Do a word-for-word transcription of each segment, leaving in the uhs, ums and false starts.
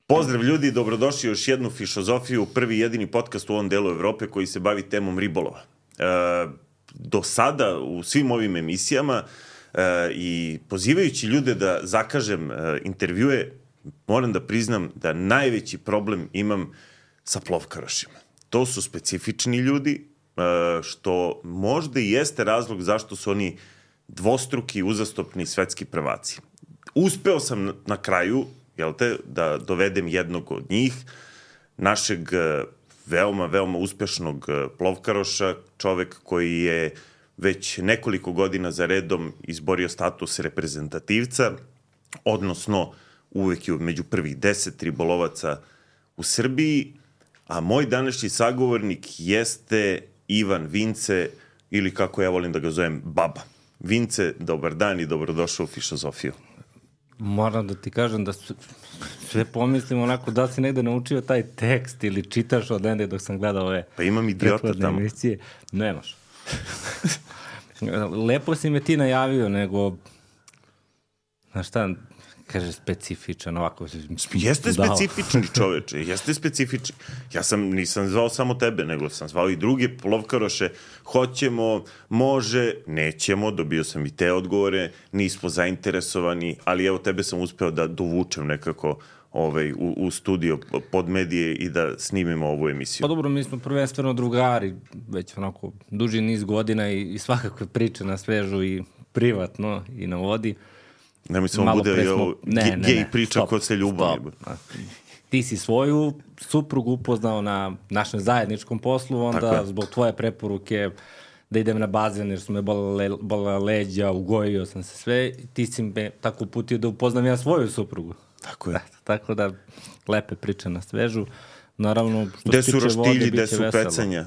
Pozdrav ljudi, dobrodošli u još jednu Fišozofiju, prvi jedini podcast u ovom delu Evrope koji se bavi temom ribolova. E, do sada u svim ovim emisijama e, i pozivajući ljude da zakažem e, intervjue, moram da priznam da najveći problem imam sa plovkarošima. To su specifični ljudi, e, što možda i jeste razlog zašto su oni dvostruki uzastopni svetski prvaci. Uspeo sam na kraju, jel te, da dovedem jednog od njih, našeg veoma, veoma uspešnog plovkaroša, čovek koji je već nekoliko godina za redom izborio status reprezentativca, odnosno uvek je među prvih deset ribolovaca u Srbiji, a moj današnji sagovornik jeste Ivan Vince, ili kako ja volim da ga zovem, Baba. Vince, dobar dan i dobrodošao u Fišozofiju. Moram da ti kažem da sve pomislim onako da si negde naučio taj tekst ili čitaš od ende dok sam gledao ove pa imam idiota tamo. Emisije. Nemaš. Lepo si me ti najavio, nego znaš šta, kaže specifičan ovako. Jeste specifični čoveče, jeste specifični. Ja sam, nisam zvao samo tebe, nego sam zvao i druge plovkaroše. Hoćemo, može, nećemo, dobio sam i te odgovore, nismo zainteresovani, ali evo tebe sam uspeo da dovučem nekako ovaj, u, u studio pod medije i da snimimo ovu emisiju. Pa dobro, mi smo prvenstveno drugari, već onako duži niz godina i, i svakakve priče na svežu i privatno i na vodi. Nemoj samo bude smo... ovo ne, ge, ne, gej ne, priča stop, ko se ljubavi. Ti si svoju suprugu upoznao na našem zajedničkom poslu, onda zbog tvoje preporuke da idem na bazen jer su me bolele, bolele leđa, ugojio sam se sve, ti si me tako uputio da upoznam ja svoju suprugu. Tako je. Tako da lepe priče na svežu. Naravno, što gde su roštilji, gde su pecanja?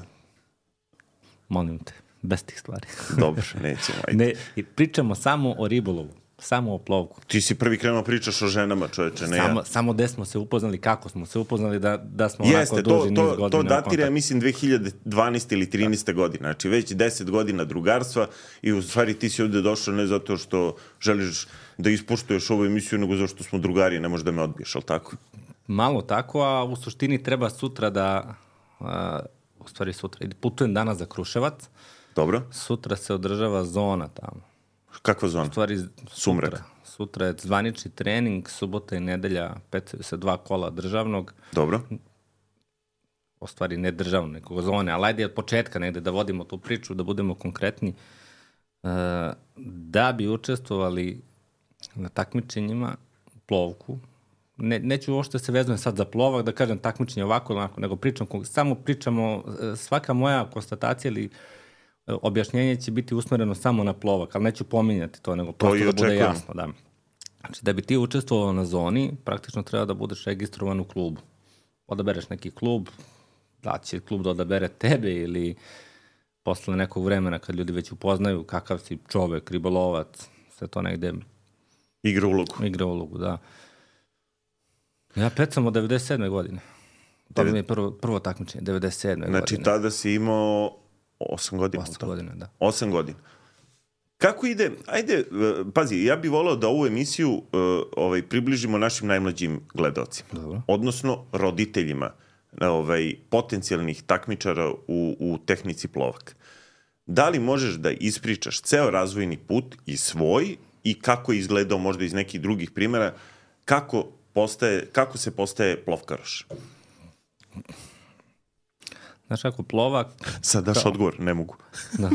Molim te, bez tih stvari. Dobro, nećemo. Ajde. Ne, pričamo samo o ribolovu. Samo o plovku. Ti si prvi krenuo pričaš o ženama, čoveče, ne samo, ja. Samo gde smo se upoznali, kako smo se upoznali, da, da smo Jeste, onako duži to, niz godina. To datira, mislim, dve hiljade dvanaeste ili trinaeste godine. Znači, već deset godina drugarstva i u stvari ti si ovde došao ne zato što želiš da ispoštuješ ovu emisiju, nego zato što smo drugari, ne možeš da me odbiješ, ali tako? Malo tako, a u suštini treba sutra da, a, u stvari sutra, putujem danas za Kruševac. Dobro. Sutra se održava zona tamo. Kakva zona? U stvari, Sumrak. Sutra, sutra je zvanični trening, subota i nedelja, pecaju se dva kola državnog. Dobro. U stvari ne državno, nekog zone, ali ajde od početka negde da vodimo tu priču, da budemo konkretni. E, da bi učestvovali na takmičenjima plovku, ne, neću uopšte se vezujem sad za plovak, da kažem takmičenje ovako, onako, nego pričam, samo pričamo, svaka moja konstatacija ili objašnjenje će biti usmereno samo na plovak, ali neću pominjati to, nego prosto da bude jasno. Da. Znači, da bi ti učestvovao na zoni, praktično treba da budeš registrovan u klubu. Odabereš neki klub, da će klub da odabere tebe ili posle nekog vremena kad ljudi već upoznaju kakav si čovek, ribolovac, sve to negde igra ulogu. Igra ulogu, da. Ja pecam od devedeset sedme godine. To mi je prvo, prvo takmičenje, devedeset sedme znači, godine. Znači, tada si imao Osam godina. Osam godina, da. Osam godina. Kako ide, ajde, pazi, ja bih voleo da ovu emisiju uh, ovaj, približimo našim najmlađim gledaocima. Dobro. Odnosno roditeljima ovaj, potencijalnih takmičara u, u tehnici plovak. Da li možeš da ispričaš ceo razvojni put i svoj i kako je izgledao možda iz nekih drugih primjera, kako, postaje, kako se postaje plovkaroš? Znaš kako plovak... Sad daš kao... odgovor, ne mogu. Da.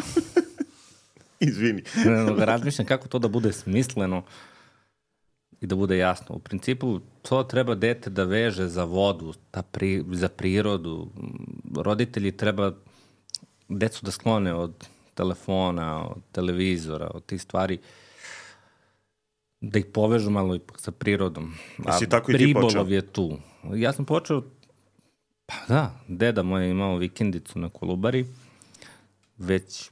Izvini. Razmišljam kako to da bude smisleno i da bude jasno. U principu, to treba dete da veže za vodu, ta pri, za prirodu. Roditelji treba decu da sklone od telefona, od televizora, od tih stvari, da ih povežu malo ipak sa prirodom. A si tako i ti počeo? Ribolov je tu. Ja sam počeo, pa da, deda moj je imao vikendicu na Kolubari, već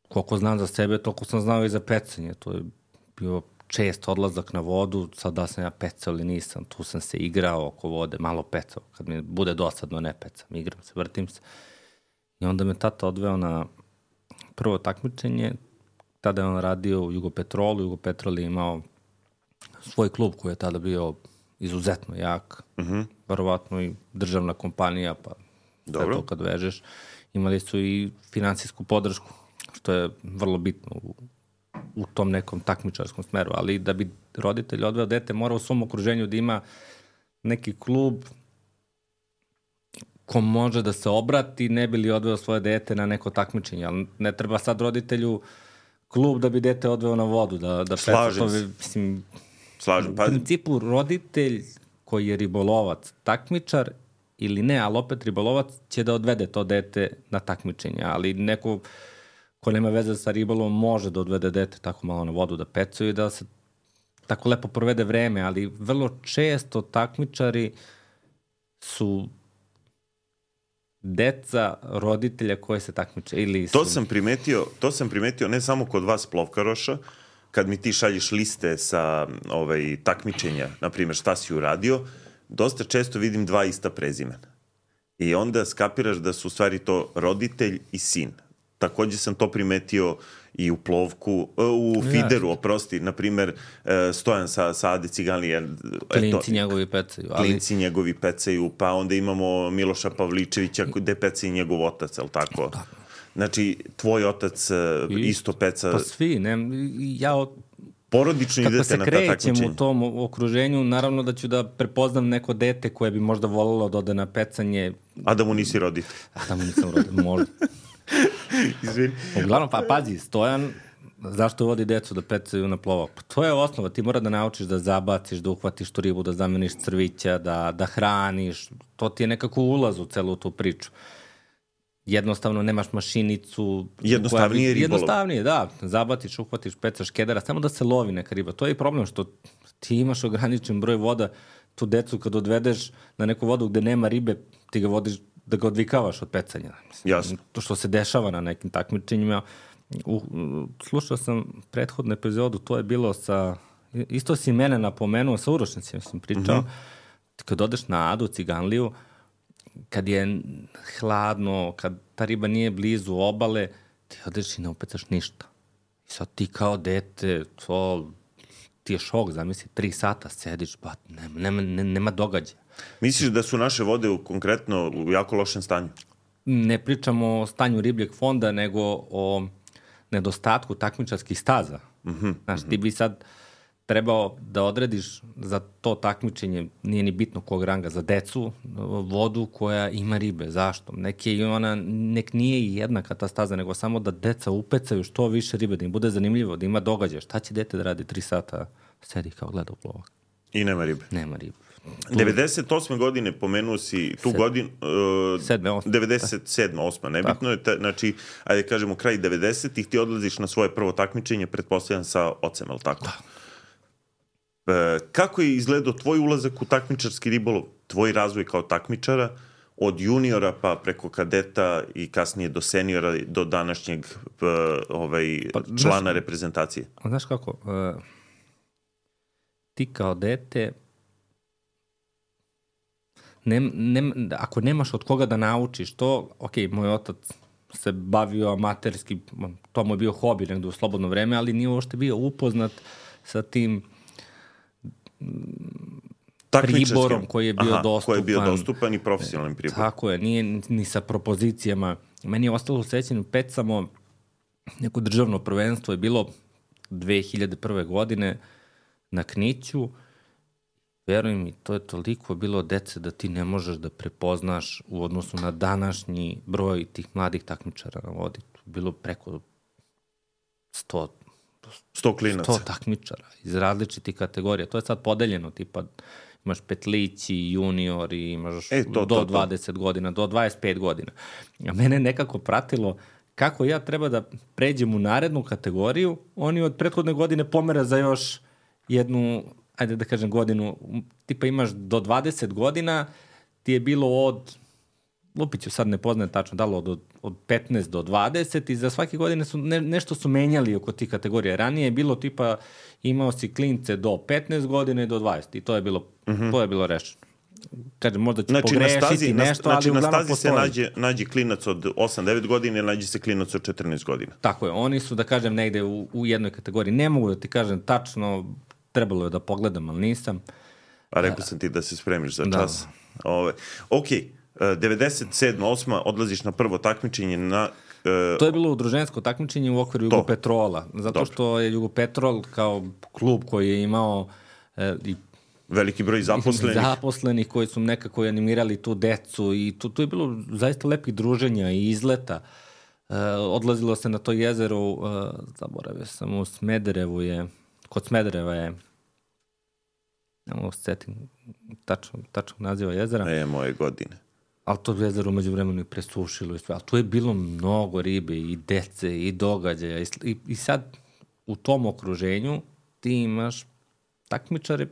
koliko znam za sebe, toliko sam znao i za pecanje. To je bio čest odlazak na vodu, sad da sam ja pecao ili nisam, tu sam se igrao oko vode, malo pecao, kad mi bude dosadno ne pecam, igram se, vrtim se. I onda me tata odveo na prvo takmičenje, tada je on radio u Jugopetrolu, Jugopetrol je imao svoj klub koji je tada bio izuzetno jak. Uh-huh. Verovatno i državna kompanija, pa sve to kad vežeš. Imali su i finansijsku podršku, što je vrlo bitno u, u tom nekom takmičarskom smeru. Ali da bi roditelj odveo dete, mora u svom okruženju da ima neki klub ko može da se obrati, ne bi li odveo svoje dete na neko takmičenje. Ali ne treba sad roditelju klub da bi dete odveo na vodu. Da, da Slažem se. Mislim, Slažem. Pa... U principu roditelj koji je ribolovac, takmičar ili ne, ali opet ribolovac će da odvede to dete na takmičenje. Ali neko ko nema veze sa ribolovom može da odvede dete tako malo na vodu da pecuje i da se tako lepo provede vreme, ali vrlo često takmičari su deca roditelja koje se takmiče. Ili su... To sam primetio, to sam primetio ne samo kod vas plovkaroša, kad mi ti šalješ liste sa ovaj, takmičenja, na primjer šta si uradio, dosta često vidim dva ista prezimena. I onda skapiraš da su u stvari to roditelj i sin. Takođe sam to primetio i u plovku, u fideru, oprosti, na primjer, Stojan sa, sa Ade Ciganlije. Klinci njegovi pecaju. Ali... Klinci njegovi pecaju, pa onda imamo Miloša Pavličevića, gde peca i njegov otac, ali tako? Tako. Znači, tvoj otac I, isto peca... Pa svi, ne, ja... Porodično idete na ta takmičenja. Kako se krećem u tom okruženju, naravno da ću da prepoznam neko dete koje bi možda volelo da ode na pecanje. A da mu nisi roditelj. A da mu nisam roditelj, možda. Izvini. Uglavnom, pa pazi, Stojan, zašto vodi decu da pecaju na plovak? Pa to je osnova, ti mora da naučiš da zabaciš, da uhvatiš tu ribu, da zameniš crvića, da, da hraniš. To ti je nekako ulaz u celu tu priču. Jednostavno nemaš mašinicu. Jednostavnije ribolov. Jednostavnije, da. Zabatiš, uhvatiš, pecaš kedara, samo da se lovi neka riba. To je i problem što ti imaš ograničen broj voda, tu decu kad odvedeš na neku vodu gde nema ribe, ti ga vodiš da ga odvikavaš od pecanja. Jasno. To što se dešava na nekim takmičenjima. U, slušao sam prethodnu epizodu, to je bilo sa, isto si mene napomenuo, sa uročnicima sam pričao, mm-hmm. kad odeš na Adu, Ciganliju, kad je hladno, kad ta riba nije blizu obale, ti odeš i ne upecaš ništa. I sad ti kao dete, to ti je šok, zamisli, tri sata sediš, pa nema, nema, nema događaja. Misliš da su naše vode u, konkretno u jako lošem stanju? Ne pričamo o stanju ribljeg fonda, nego o nedostatku takmičarskih staza. Mm-hmm. Znaš, ti bi sad trebao da odrediš za to takmičenje, nije ni bitno kog ranga, za decu, vodu koja ima ribe. Zašto? Nek je ona, nek nije jednaka ta staza, nego samo da deca upecaju što više ribe, da im bude zanimljivo, da ima događaja. Šta će dete da radi tri sata, sedi kao gleda u plovak? I nema ribe. Nema ribe. Tu... devedeset osme godine pomenuo si tu Sed... godinu... Uh, Sedme, osme. devedeset sedma, osma, nebitno je. Ta, znači, ajde kažemo, kraj devedesetih ti odlaziš na svoje prvo takmičenje, pretpostavljam sa ocem, ali tako? Da. E, kako je izgledao tvoj ulazak u takmičarski ribolov, tvoj razvoj kao takmičara, od juniora pa preko kadeta i kasnije do seniora, do današnjeg uh, ovaj, pa, člana znaš, reprezentacije? Znaš kako, uh, ti kao dete, ne, ne, ako nemaš od koga da naučiš to, ok, moj otac se bavio amaterski, to mu je bio hobi negde u slobodno vreme, ali nije uopšte bio upoznat sa tim priborom koji je bio Aha, dostupan. Koji je bio dostupan i profesionalnim priborom. Tako je, nije ni sa propozicijama. Meni je ostalo u sećanju, pecamo neko državno prvenstvo, je bilo dve hiljade prve godine na Kniću. Veruj mi, to je toliko bilo dece da ti ne možeš da prepoznaš u odnosu na današnji broj tih mladih takmičara na vodi. Bilo preko sto sto klinaca. sto takmičara iz različitih kategorija. To je sad podeljeno, tipa imaš petlići, juniori, imaš e, to, do to, dvadeset to. godina, do dvadeset pet godina. A mene nekako pratilo kako ja treba da pređem u narednu kategoriju, oni od prethodne godine pomera za još jednu, ajde da kažem godinu, tipa imaš do dvadeset godina, ti je bilo od, Lupiću sad ne poznajem tačno, dalo od, od petnaest do dvadeset i za svake godine su ne, nešto su menjali oko tih kategorija. Ranije je bilo tipa, imao si klince do petnaest godine i do dvadeset i to je bilo, mm-hmm. to je bilo rešeno. Kažem, možda ću znači, pogrešiti stazi, nešto, znači, ali uglavnom postoji. Znači na stazi se nađe, nađe klinac od osam devet godina ili nađe se klinac od četrnaest godina. Tako je, oni su, da kažem, negde u, u jednoj kategoriji. Ne mogu da ti kažem tačno, trebalo je da pogledam, ali nisam. A rekao sam ti da se spremiš za čas. Da. Ove, ok, devedeset sedma osma odlaziš na prvo takmičenje na... Uh, to je bilo udružensko takmičenje u okviru Jugopetrola, zato Dobro. što je Jugopetrol kao klub koji je imao e, i veliki broj zaposlenih. Zaposlenih koji su nekako animirali tu decu i tu, tu je bilo zaista lepih druženja i izleta. E, odlazilo se na to jezero, e, zaboravio sam, u Smederevu je, kod Smedereva je, ne mogu se setim tačno, tačno naziva jezera. E, moje godine. Ali to jezero umeđu vremenu i presušilo i sve. Ali tu je bilo mnogo ribe i dece i događaja. I, i, i sad u tom okruženju ti imaš takmičare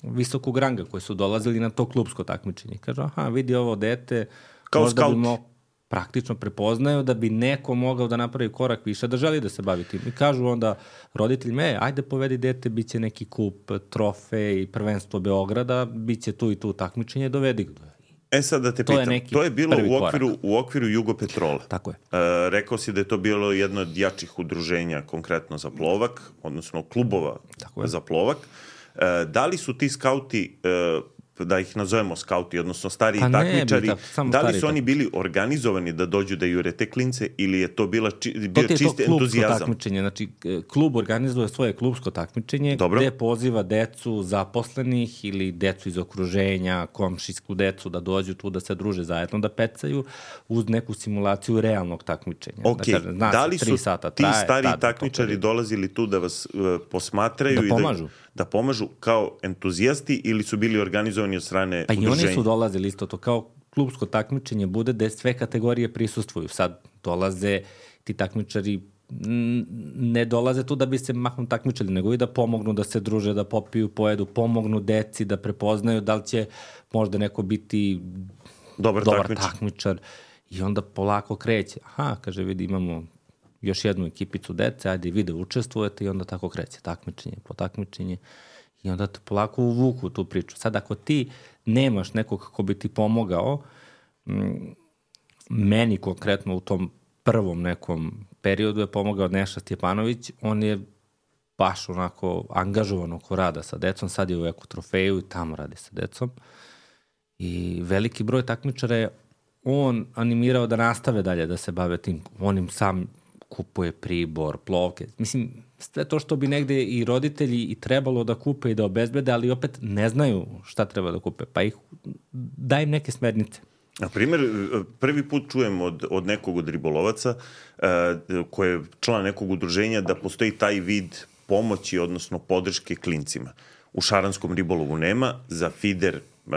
visokog ranga koji su dolazili na to klubsko takmičenje. Kažu, aha, vidi ovo dete, kao možda scout. bi mo, praktično prepoznaju da bi neko mogao da napravi korak više, da želi da se bavi tim. I kažu onda roditeljima, e, ajde povedi dete, bit će neki kup, trofej, prvenstvo Beograda, bit će tu i tu takmičenje, dovedi ga. E sad da te to pitam, je to je bilo u okviru, u okviru Jugopetrola. Tako je. E, rekao si da je to bilo jedno od jačih udruženja konkretno za plovak, odnosno klubova za plovak. E, da li su ti skauti, e, da ih nazovemo skauti, odnosno stariji pa takmičari, tako, da li su oni bili organizovani da dođu da jure te klince ili je to bila či, bio to čisti entuzijazam? Takmičenje. Znači, klub organizuje svoje klubsko takmičenje Dobro. gde poziva decu zaposlenih ili decu iz okruženja, komšijsku decu da dođu tu da se druže zajedno, da pecaju uz neku simulaciju realnog takmičenja. Ok, da, kažem, zna da li se, su sata ti traje, stari takmičari dolazili tu da vas uh, posmatraju da i pomažu. Da, da pomažu kao entuzijasti ili su bili organizovani od strane pa udruženja? Pa i oni su dolazili isto to kao klubsko takmičenje bude da sve kategorije prisustvuju. Sad dolaze ti takmičari, ne dolaze tu da bi se mahom takmičali, nego i da pomognu, da se druže, da popiju, pojedu, pomognu deci, da prepoznaju da li će možda neko biti dobar, dobar takmičar. takmičar. I onda polako kreće. Aha, kaže, vidi, imamo još jednu ekipicu dece, ajde vi da učestvujete i onda tako kreće takmičenje po takmičenje. I onda te polako uvuku tu priču. Sad, ako ti nemaš nekog kako bi ti pomogao, m, meni konkretno u tom prvom nekom periodu je pomogao Neša Stjepanović, on je baš onako angažovan oko rada sa decom, sad je u Eko Trofeju i tamo radi sa decom. I veliki broj takmičara je on animirao da nastave dalje da se bave tim, on im sam kupuje pribor, plovke, mislim, sve to što bi negde i roditelji i trebalo da kupe i da obezbede, ali opet ne znaju šta treba da kupe, pa ih daj im neke smernice. Na primjer, prvi put čujem od, od nekog od ribolovaca uh, koje je član nekog udruženja da postoji taj vid pomoći, odnosno podrške klincima. U šaranskom ribolovu nema, za fider, uh,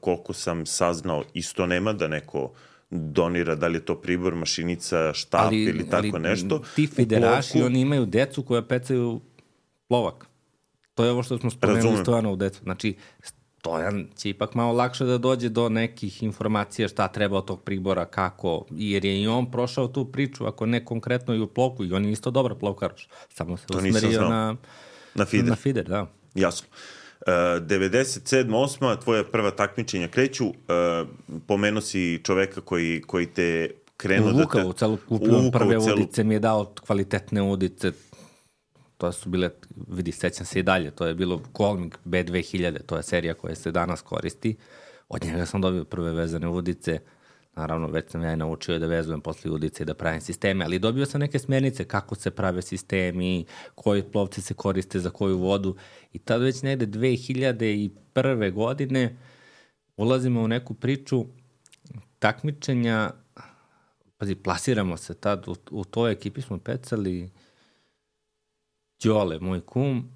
koliko sam saznao, isto nema, da neko donira, da li je to pribor, mašinica, štap ali, ili tako ali nešto. Ti fideraši, plovku, oni imaju decu koja pecaju plovak. To je ovo što smo spomenuli Stojanovu decu. Znači, Stojan će ipak malo lakše da dođe do nekih informacija šta treba od tog pribora, kako, jer je i on prošao tu priču, ako ne konkretno i u plovku, i on je isto dobar plovkaroš. Samo se usmerio na, na fider. Na fider, da. Jasno. Uh, devedeset sedma osma tvoja prva takmičenja kreću, uh, pomenuo si čoveka koji, koji te krenuo da te... U celu kupio prve celu... udice, mi je dao kvalitetne udice, to su bile, vidi, sećam se i dalje, to je bilo Colming B dve hiljade, to je serija koja se danas koristi, od njega sam dobio prve vezane udice, naravno već sam ja i naučio da vezujem posle udice i da pravim sisteme, ali dobio sam neke smernice kako se prave sistemi, koji plovci se koriste za koju vodu i tad već negde dve hiljade prve. godine ulazimo u neku priču takmičenja, pazi, plasiramo se tad, u, u toj ekipi smo pecali Đole, moj kum,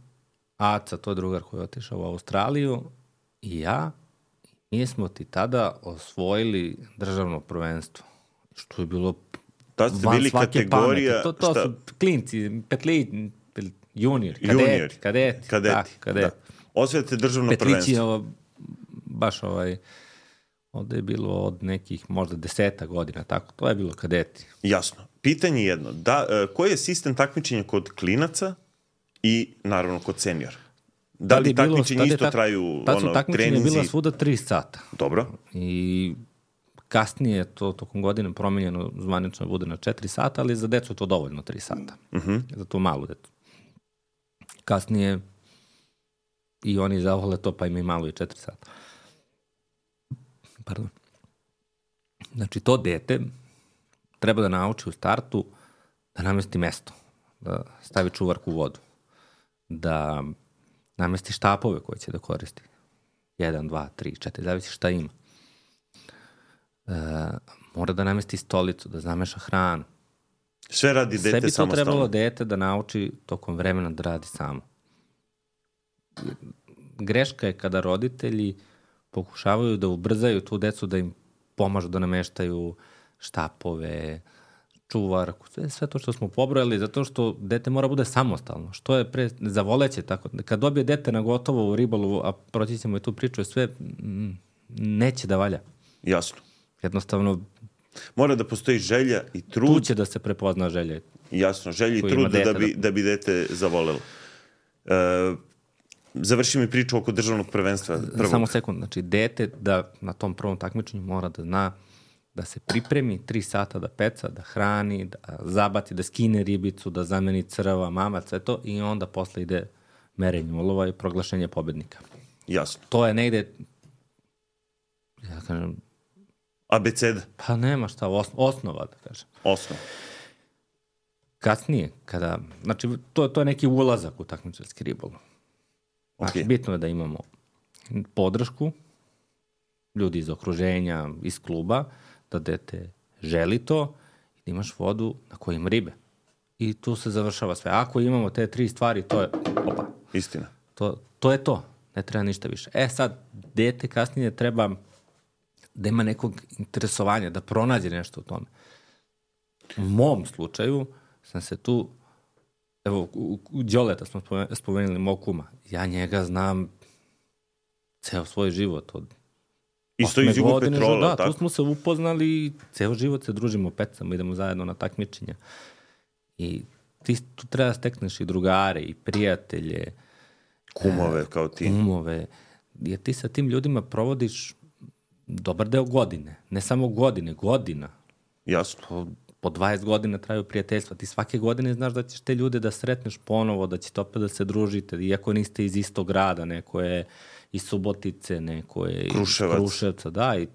Aca, to je drugar koji je otišao u Australiju, i ja, mi smo ti tada osvojili državno prvenstvo, što je bilo tad ste bili kategorija... To, to su klinci, petli, junior, kadeti, junior, kadeti, kadeti, da, kadeti. Da. Osvojite državno Petlići prvenstvo. Ovo, baš ovaj, ovde je bilo od nekih možda deseta godina, tako, to je bilo kadeti. Jasno. Pitanje jedno, da, koji je sistem takmičenja kod klinaca i naravno kod seniora? Da li takmičenje isto tak, traju tad su ono, takmičenje treninzi? Bila svuda tri sata. Dobro. I kasnije to tokom godine promenjeno zvanično bude na četiri sata, ali za decu je to dovoljno tri sata. Uh-huh. Za tu malu decu. Kasnije i oni zavole to, pa ima i malo i četiri sata. Pardon. Znači, to dete treba da nauči u startu da namesti mesto, da stavi čuvarku u vodu, da namesti štapove koje će da koristi. Jedan, dva, tri, četiri, zavisi šta ima. E, mora da namesti stolicu, da zameša hranu. Sve radi dete samostalno. Sve bi to trebalo dete da nauči tokom vremena da radi samo. Greška je kada roditelji pokušavaju da ubrzaju tu decu, da im pomažu da nameštaju štapove, čuvarku, sve, sve to što smo pobrojali, zato što dete mora bude samostalno. Što je pre, zavoleće tako. Kad dobije dete na gotovo u ribolovu, a proći ćemo i tu priču, sve m, neće da valja. Jasno. Jednostavno, mora da postoji želja i trud. Tu će da se prepozna želja. Jasno, želja i trud da bi, da bi dete zavolelo. E, završi mi priču oko državnog prvenstva. Prvog. Samo sekund, znači dete da na tom prvom takmičenju mora da zna da se pripremi tri sata da peca, da hrani, da zabati, da skine ribicu, da zameni crva, mamac, sve to, i onda posle ide merenje ulova i proglašenje pobednika. Jasno. To je negde, ja kažem, abeceda. Pa nema šta, os, osnova, da kažem. Osnova. Kasnije, kada, znači, to, to je neki ulazak u takmičarski ribolov. Znači, okay. Bitno je da imamo podršku, ljudi iz okruženja, iz kluba, da dete želi to i da imaš vodu na kojoj ima ribe. I tu se završava sve. Ako imamo te tri stvari, to je, opa. Istina. To, to je to. Ne treba ništa više. E sad, dete kasnije treba da ima nekog interesovanja, da pronađe nešto u tome. U mom slučaju sam se tu, evo, u, u Đoleta smo spomenuli mog kuma. Ja njega znam ceo svoj život od isto iz Jugopetrola, da, tako? Tu smo se upoznali i ceo život se družimo, pecamo, idemo zajedno na takmičenja. I ti tu treba da stekneš i drugare, i prijatelje. Kumove, e, kao ti. Kumove. Jer ti sa tim ljudima provodiš dobar deo godine. Ne samo godine, godina. Jasno. Po, po dvadeset godina traju prijateljstva. Ti svake godine znaš da ćeš te ljude da sretneš ponovo, da ćete opet da se družite. Iako niste iz istog grada, neko je iz Subotice, neko je Kruševac. iz Kruševca, da, i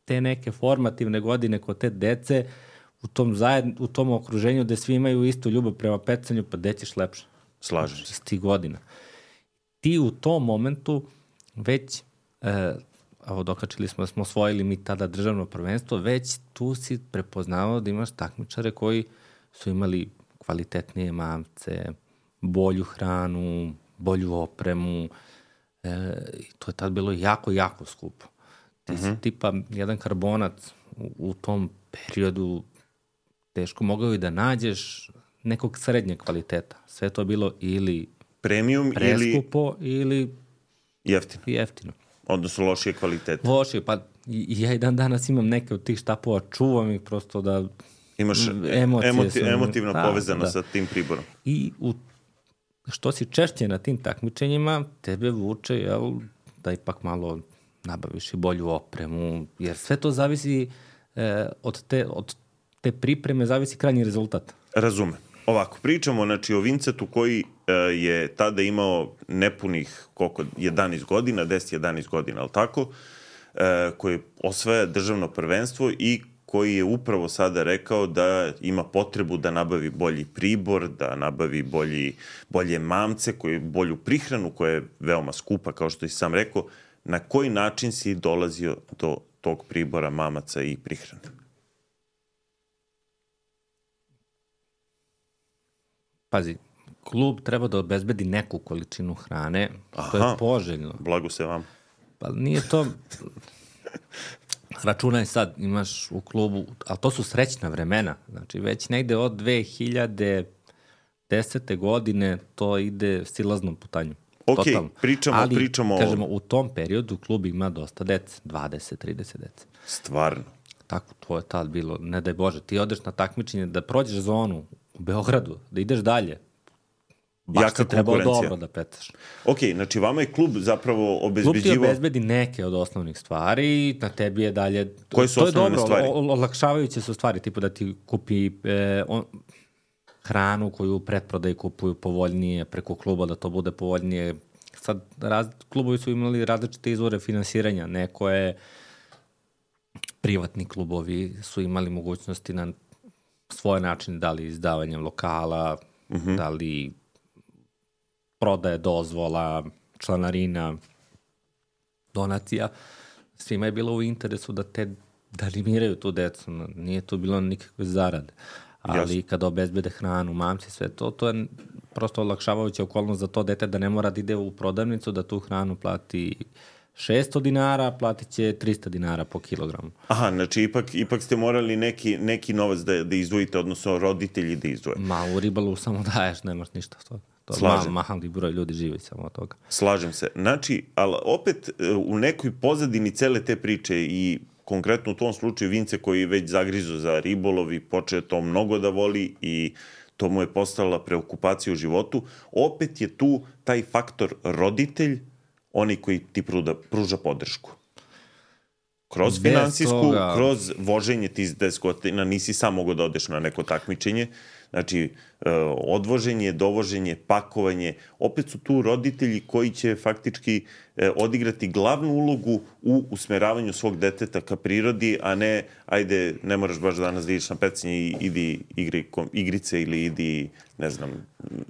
te neke formativne godine kod te dece u tom, zajedn, u tom okruženju gde svi imaju istu ljubav prema pecanju, pa gde ćeš lepše? Slažem se. Iz tih godina. Ti u tom momentu već, e, evo dokačili smo da smo osvojili mi tada državno prvenstvo, već tu si prepoznavao da imaš takmičare koji su imali kvalitetnije mamce, bolju hranu, bolju opremu, E, to je tad bilo jako, jako skupo. Ti uh-huh. si tipa jedan karbonac u, u tom periodu teško mogao i da nađeš nekog srednjeg kvaliteta. Sve to je bilo ili premium preskupo ili, ili jeftino. jeftino. Odnosno lošije kvalitete. Lošije, pa i, i ja i dan danas imam neke od tih štapova, čuvam ih prosto da imaš emocije emoti, sam, emotivno da, povezano da. sa tim priborom. I u što si češće na tim takmičenjima, tebe vuče, jel, da ipak malo nabaviš i bolju opremu, jer sve to zavisi e, od, te, od te pripreme, zavisi krajnji rezultat. Razumem. Ovako, pričamo znači, o Vincetu koji e, je tada imao nepunih koliko, jedanaest godina, deset jedanaest godina, ali tako, e, koji osvaja državno prvenstvo i koji je upravo sada rekao da ima potrebu da nabavi bolji pribor, da nabavi bolji, bolje mamce, koji, bolju prihranu koja je veoma skupa, kao što i sam rekao. Na koji način si dolazio do tog pribora, mamaca i prihrane? Pazi, klub treba da obezbedi neku količinu hrane, što je poželjno. Blago se vam. Pa nije to... Računaj sad, imaš u klubu, ali to su srećna vremena, znači već negde od dve hiljade desete godine to ide silaznom putanju. Ok, totalno. pričamo, ali, pričamo... Ali, kažemo, u tom periodu klub ima dosta dece, dvadeset trideset dece. Stvarno? Tako, to je tad bilo, ne daj Bože, ti odeš na takmičenje, da prođeš zonu u Beogradu, da ideš dalje, baš jaka ti trebalo dobro da pecaš. Ok, znači vama je klub zapravo obezbeđivo... Klub ti obezbedi neke od osnovnih stvari i na tebi je dalje... Koje su osnovne dobro, stvari? To je dobro, olakšavajuće su stvari, tipa da ti kupi e, on, hranu koju u pretprodaji kupuju povoljnije preko kluba, da to bude povoljnije, sad raz, klubovi su imali različite izvore finansiranja. Neko je, privatni klubovi su imali mogućnosti na svoje načine, da li izdavanjem lokala, uh-huh. da li prodaje dozvola, članarina, donacija. Svima je bilo u interesu da te da animiraju tu decu. Nije tu bilo nikakve zarade. Ali Jasne. Kada obezbede hranu, mamci, sve to, to je prosto olakšavajuća okolnost za to dete da ne mora da ide u prodavnicu, da tu hranu plati šesto dinara, platit će trista dinara po kilogramu. Aha, znači ipak, ipak ste morali neki, neki novac da, da izdvojite, odnosno roditelji da izdvoje. Ma, u ribalu samo daješ, nemaš ništa. To, to mal, mali broj ljudi živi samo od toga. Slažem se. Znači, ali opet u nekoj pozadini cele te priče i konkretno u tom slučaju Vince koji je već zagrizo za ribolov i počeo to mnogo da voli i to mu je postala preokupacija u životu, opet je tu taj faktor roditelj, oni koji ti pruda, pruža podršku. Kroz Bez finansijsku, toga... kroz voženje ti iz deset godina, nisi sam mogo da odeš na neko takmičenje, znači odvoženje, dovoženje, pakovanje, opet su tu roditelji koji će faktički odigrati glavnu ulogu u usmeravanju svog deteta ka prirodi, a ne, ajde, ne moraš baš danas da ideš na pecanje i idi igri, igrice ili idi, ne znam,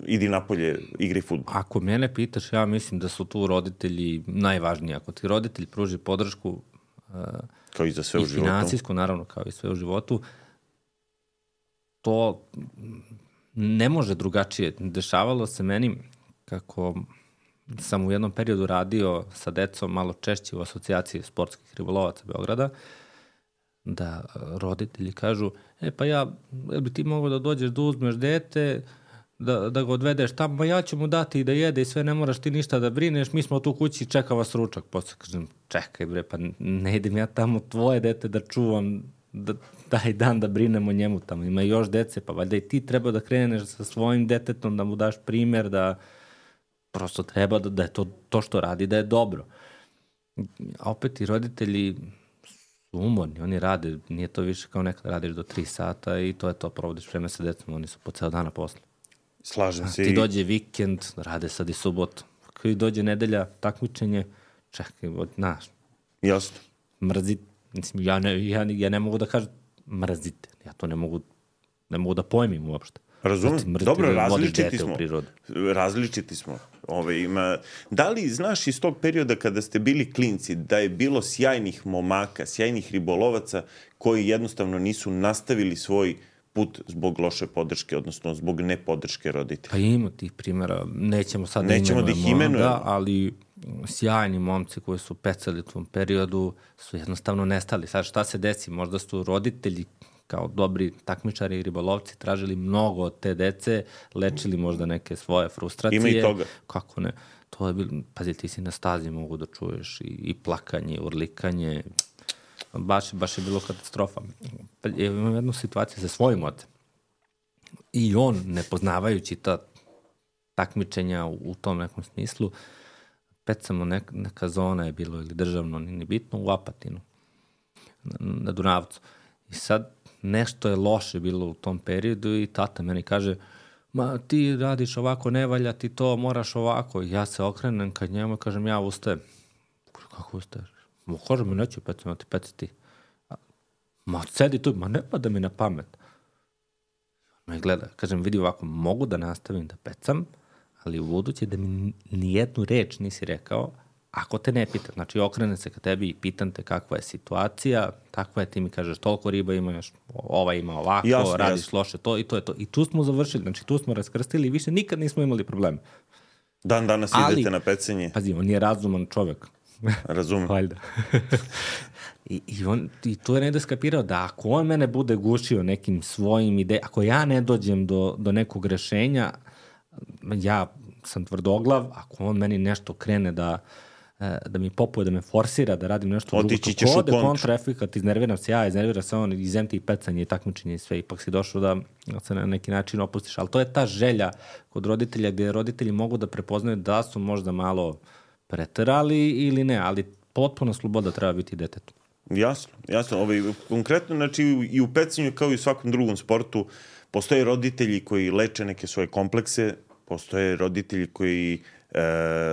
idi napolje, igri fudbal. Ako mene pitaš, ja mislim da su tu roditelji najvažniji. Ako ti roditelj pruži podršku kao i za sve i u životu. finansijsku, naravno, kao i sve u životu, to ne može drugačije. Dešavalo se meni kako sam u jednom periodu radio sa decom malo češće u asocijaciji sportskih ribolovaca Beograda, da roditelji kažu, e pa ja, jel bi ti mogao da dođeš da uzmeš dete, da, da ga odvedeš tamo, ja ću mu dati i da jede i sve, ne moraš ti ništa da brineš, mi smo tu kući i čeka vas ručak. Posle kažem, čekaj bre, pa ne idem ja tamo tvoje dete da čuvam, da taj dan da brinem o njemu tamo. Ima još dece, pa valjda i ti treba da kreneš sa svojim detetom, da mu daš primer, da prosto treba da, da je to, to što radi, da je dobro. A opet i roditelji su umorni, oni rade, nije to više kao nekada radiš do tri sata i to je to, provodiš vreme sa decom, oni su po ceo dana posle. Slažem se. Ti dođe vikend, rade sad i subotu. Kada dođe nedelja, takmičenje, čekaj, znaš. Jasno. Mrzite. Mislim, ja ne, ja, ja ne mogu da kažem mrzite. Ja to ne mogu, ne mogu da pojmim uopšte. Razumem. Znači, dobro, različiti smo. Različiti smo. Ove, ima... Da li znaš iz tog perioda kada ste bili klinci da je bilo sjajnih momaka, sjajnih ribolovaca koji jednostavno nisu nastavili svoj put zbog loše podrške, odnosno zbog nepodrške roditelja? Pa ima tih primjera. Nećemo sad Nećemo da ih imenujemo. Da, ali sjajni momci koji su pecali u tom periodu su jednostavno nestali. Sad šta se desi? Možda su roditelji kao dobri takmičari i ribolovci tražili mnogo od te dece, lečili možda neke svoje frustracije. Ima i toga. Kako ne? To je bilo, pazi, ti si na stazi mogu da čuješ i, i plakanje, i urlikanje. Baš, baš je bilo katastrofa. Imam jednu situaciju sa svojim ocem. I on, ne poznavajući ta takmičenja u, u tom nekom smislu, pecamo nek, neka zona je bilo ili državno, ni bitno, u Apatinu, na, na Dunavcu. I sad nešto je loše bilo u tom periodu i tata meni kaže, ma ti radiš ovako, ne valja ti to, moraš ovako. I ja se okrenem kad njemu i kažem, ja ustajem. Kako ustaješ? Ma kaže mi, neću pecati, ma ti peci ti. Ma sedi tu, ma ne pada mi na pamet. Me gleda, kažem, vidi ovako, mogu da nastavim da pecam, ali u buduće da mi nijednu reč nisi rekao, ako te ne pitam. Znači, okrenem se ka tebi i pitam te kakva je situacija, takva je, ti mi kažeš, toliko riba imaš, ova ima ovako, jasno, radiš jasno. Loše to i to je to. I tu smo završili, znači tu smo raskrstili i više nikad nismo imali problema. Dan danas ali, idete na pecanje. Pazi, on je razuman čovek. Razumem. Valjda. I, i, on, I tu je negde skapirao da ako on mene bude gušio nekim svojim idejama, ako ja ne dođem do, do nekog rešenja, ja sam tvrdoglav, ako on meni nešto krene da, da mi popuje, da me forsira, da radim nešto drugo, to kode kontraefekat, iznerviram se ja, iznervira se on, izem ti i pecanje i takmičenje i sve, ipak si došao da se na neki način opustiš. Ali to je ta želja kod roditelja gdje roditelji mogu da prepoznaju da su možda malo preterali ili ne, ali potpuno sloboda treba biti detetu. Jasno, jasno. Ovaj, konkretno, znači i u pecanju kao i u svakom drugom sportu postoje roditelji koji leče neke svoje komplekse, postoje roditelji koji e,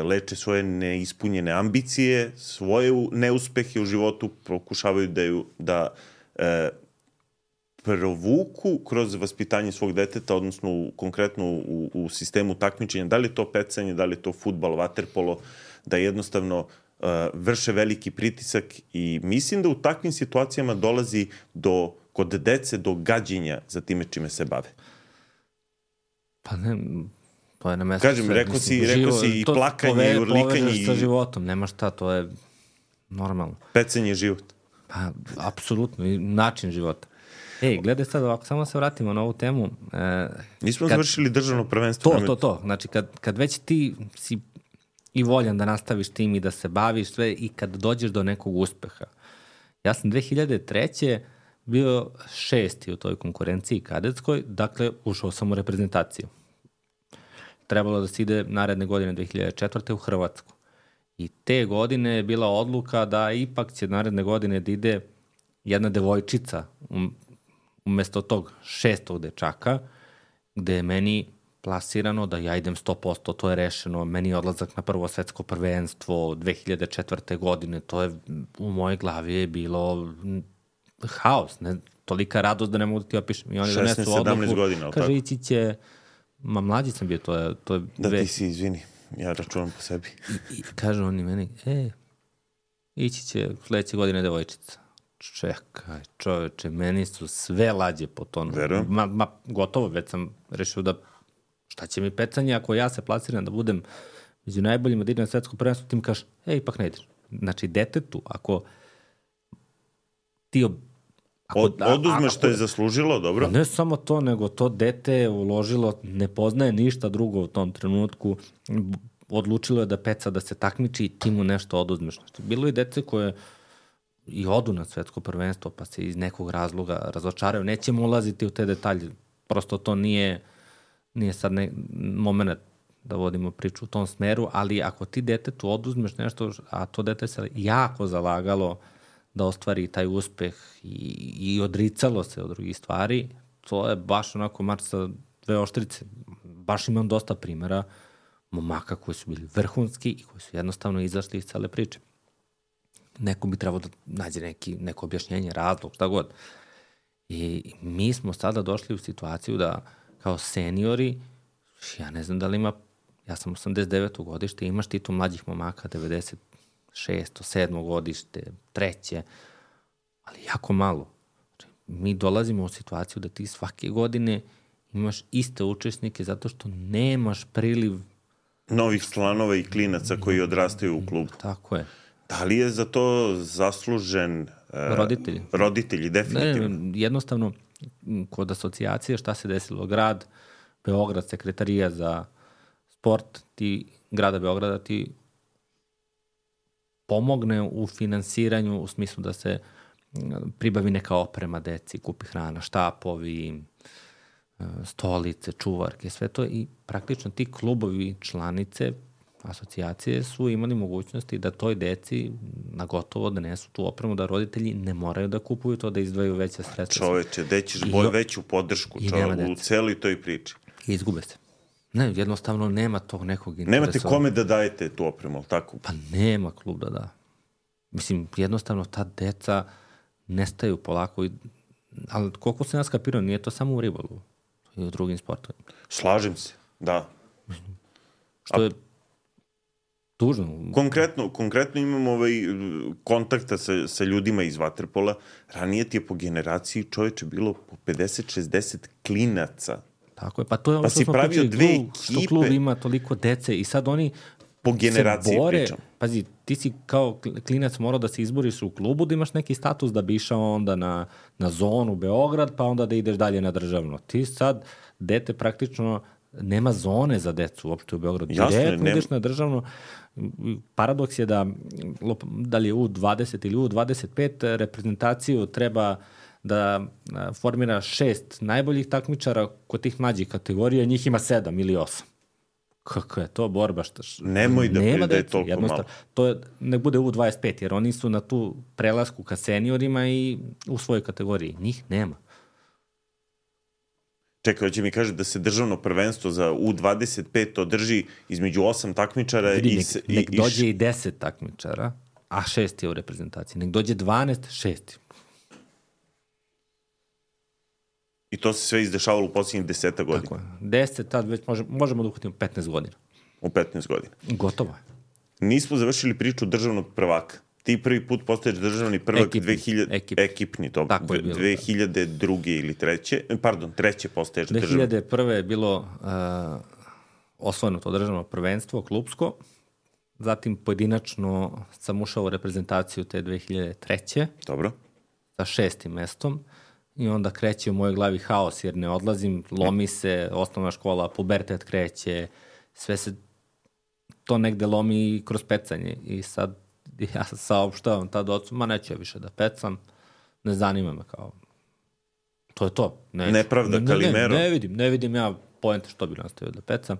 leče svoje neispunjene ambicije, svoje neuspehe u životu, pokušavaju da, ju, da e, provuku kroz vaspitanje svog deteta, odnosno u, konkretno u, u sistemu takmičenja, da li je to pecanje, da li je to fudbal, vaterpolo, da jednostavno uh, vrše veliki pritisak i mislim da u takvim situacijama dolazi do, kod dece do gađenja za time čime se bave. Pa ne, to je na mesto. Kažem, sve. rekao si, rekao si i plakanje, pove, i urlikanje. Povežeš sa životom, nema šta, to je normalno. Pecanje je život. Pa, apsolutno, i način života. Ej, gledaj sad, ako samo se vratimo na ovu temu. E, Nismo kad, završili državno prvenstvo. To, to, to. Znači, kad, kad već ti si i voljan da nastaviš tim i da se baviš sve i kad dođeš do nekog uspeha. Ja sam dve hiljade treće bio šesti u toj konkurenciji kadetskoj, dakle, ušao sam u reprezentaciju. Trebalo da se ide naredne godine dve hiljade četvrte u Hrvatsku. I te godine je bila odluka da ipak će naredne godine da ide jedna devojčica umesto tog šestog dečaka, gde je meni plasirano da ja idem sto posto, to je rešeno, meni je odlazak na prvo svetsko prvenstvo dve hiljade četvrte godine, to je u mojoj glavi je bilo haos, ne, tolika radost da ne mogu da ti opišem. I oni šesnaest sedamnaest godina, kaže, ići će, ma mlađi sam bio, to je... To je da dve... ti si, izvini, ja računam po sebi. I, i kaže oni meni, e, ići će sledeće godine devojčica. Čekaj, čoveče, meni su sve lađe po tonu. Verujem. Ma, ma, gotovo, već sam rešio da šta će mi pecanje ako ja se plasiram da budem među najboljima da idem na svetsko prvenstvo, ti mi kažeš, e, ipak ne ideš. Znači, detetu, ako ti... Ob... Ako, Od, oduzmeš što je zaslužilo, dobro? Ne samo to, nego to dete je uložilo, ne poznaje ništa drugo u tom trenutku, odlučilo je da peca, da se takmiči i ti mu nešto oduzmeš. Znači, bilo je dece koje i odu na svetsko prvenstvo, pa se iz nekog razloga razočaraju. Nećemo ulaziti u te detalje. Prosto to nije, nije sad ne, moment da vodimo priču u tom smeru, ali ako ti detetu oduzmeš nešto, a to dete se jako zalagalo da ostvari taj uspeh i, i odricalo se od drugih stvari, to je baš onako mač sa dve oštrice. Baš imam dosta primjera momaka koji su bili vrhunski i koji su jednostavno izašli iz cele priče. Neko bi trebalo da nađe neki, neko objašnjenje, razlog, šta god. I mi smo sada došli u situaciju da kao seniori, ja ne znam da li ima, ja sam osamdeset deveto godište, imaš ti tu mlađih momaka, devedeset šesto, sedmo godište, treće, ali jako malo. Mi dolazimo u situaciju da ti svake godine imaš iste učesnike zato što nemaš priliv novih članova i klinaca koji odrastaju u klubu. Tako je. Da li je za to zaslužen uh, roditelji? Roditelji, definitivno. Ne, ne, jednostavno, kod asocijacije šta se desilo? Grad Beograd, sekretarija za sport ti, grada Beograda ti pomogne u finansiranju u smislu da se pribavi neka oprema deci, kupi hrana, štapovi, stolice, čuvarke, sve to i praktično ti klubovi, članice, asocijacije su imali mogućnosti da toj deci na gotovo donesu tu opremu, da roditelji ne moraju da kupuju to, da izdvaju veće sredstva. Čoveče, gde ćeš boj veću podršku čove, u celoj toj priči. I izgube se. Ne, jednostavno nema tog nekog interesa. Nemate kome da dajete tu opremu, ali tako? Pa nema klub da da. Mislim, jednostavno ta deca nestaju polako, i, ali koliko se nas kapirao, nije to samo u ribolovu, i u drugim sportovima. Slažem se, da. Što je tužno. Konkretno, konkretno imamo ovaj kontakta sa, sa ljudima iz vaterpola. Ranije ti je po generaciji čoveče bilo po pedeset šezdeset klinaca. Tako je, pa to je ono pa što smo pričali, klub, što klub ima toliko dece i sad oni po generaciji se bore. Pričam. Pazi, ti si kao klinac morao da se izboriš u klubu, da imaš neki status da bi išao onda na, na zonu Beograd, pa onda da ideš dalje na državno. Ti sad, dete praktično nema zone za decu uopšte u Beogradu. Jasno, direktno nema. ideš na državno. Paradoks je da, da li je U dvadeset ili U dvadeset pet, reprezentaciju treba da formira šest najboljih takmičara kod tih mlađih kategorija, njih ima sedam ili osam. Kako je to borba? Šta, Nemoj da nema da je toliko malo. To je, nek bude U dvadeset pet, jer oni su na tu prelasku ka seniorima i u svojoj kategoriji. Njih nema. Čekaj, hoće mi kaže da se državno prvenstvo za U dvadeset pet održi između osam takmičara Vidi, i... nek, i, nek i dođe i deset takmičara, a šest je u reprezentaciji. Nek dođe dvanaest, šest. I to se sve izdešavalo u posljednjih deseta godina. Tako je. deset, tad već može, možemo da uhvatimo petnaest godina. U petnaest godina. Gotovo je. Nismo završili priču državnog prvaka. Ti prvi put postaješ državni prvak Ekipni. dve hiljade... Ekip. Ekipni, to Tako je bilo, dve hiljade druge ili treće. Pardon, treće postaješ državni. dve hiljade prve je bilo uh, osvojeno to državno prvenstvo, klubsko. Zatim pojedinačno sam ušao u reprezentaciju te dve hiljade treće. Dobro. Sa šestim mestom. I onda kreće u mojoj glavi haos, jer ne odlazim, lomi se, osnovna škola, pubertet kreće, sve se to negde lomi kroz pecanje. I sad ja saopštavam tad ocu, ma neću ja više da pecam, ne zanima me kao, to je to. Neću. Nepravda, ne, Kalimero. Ne, ne vidim, ne vidim ja poente što bi nastavio da pecam.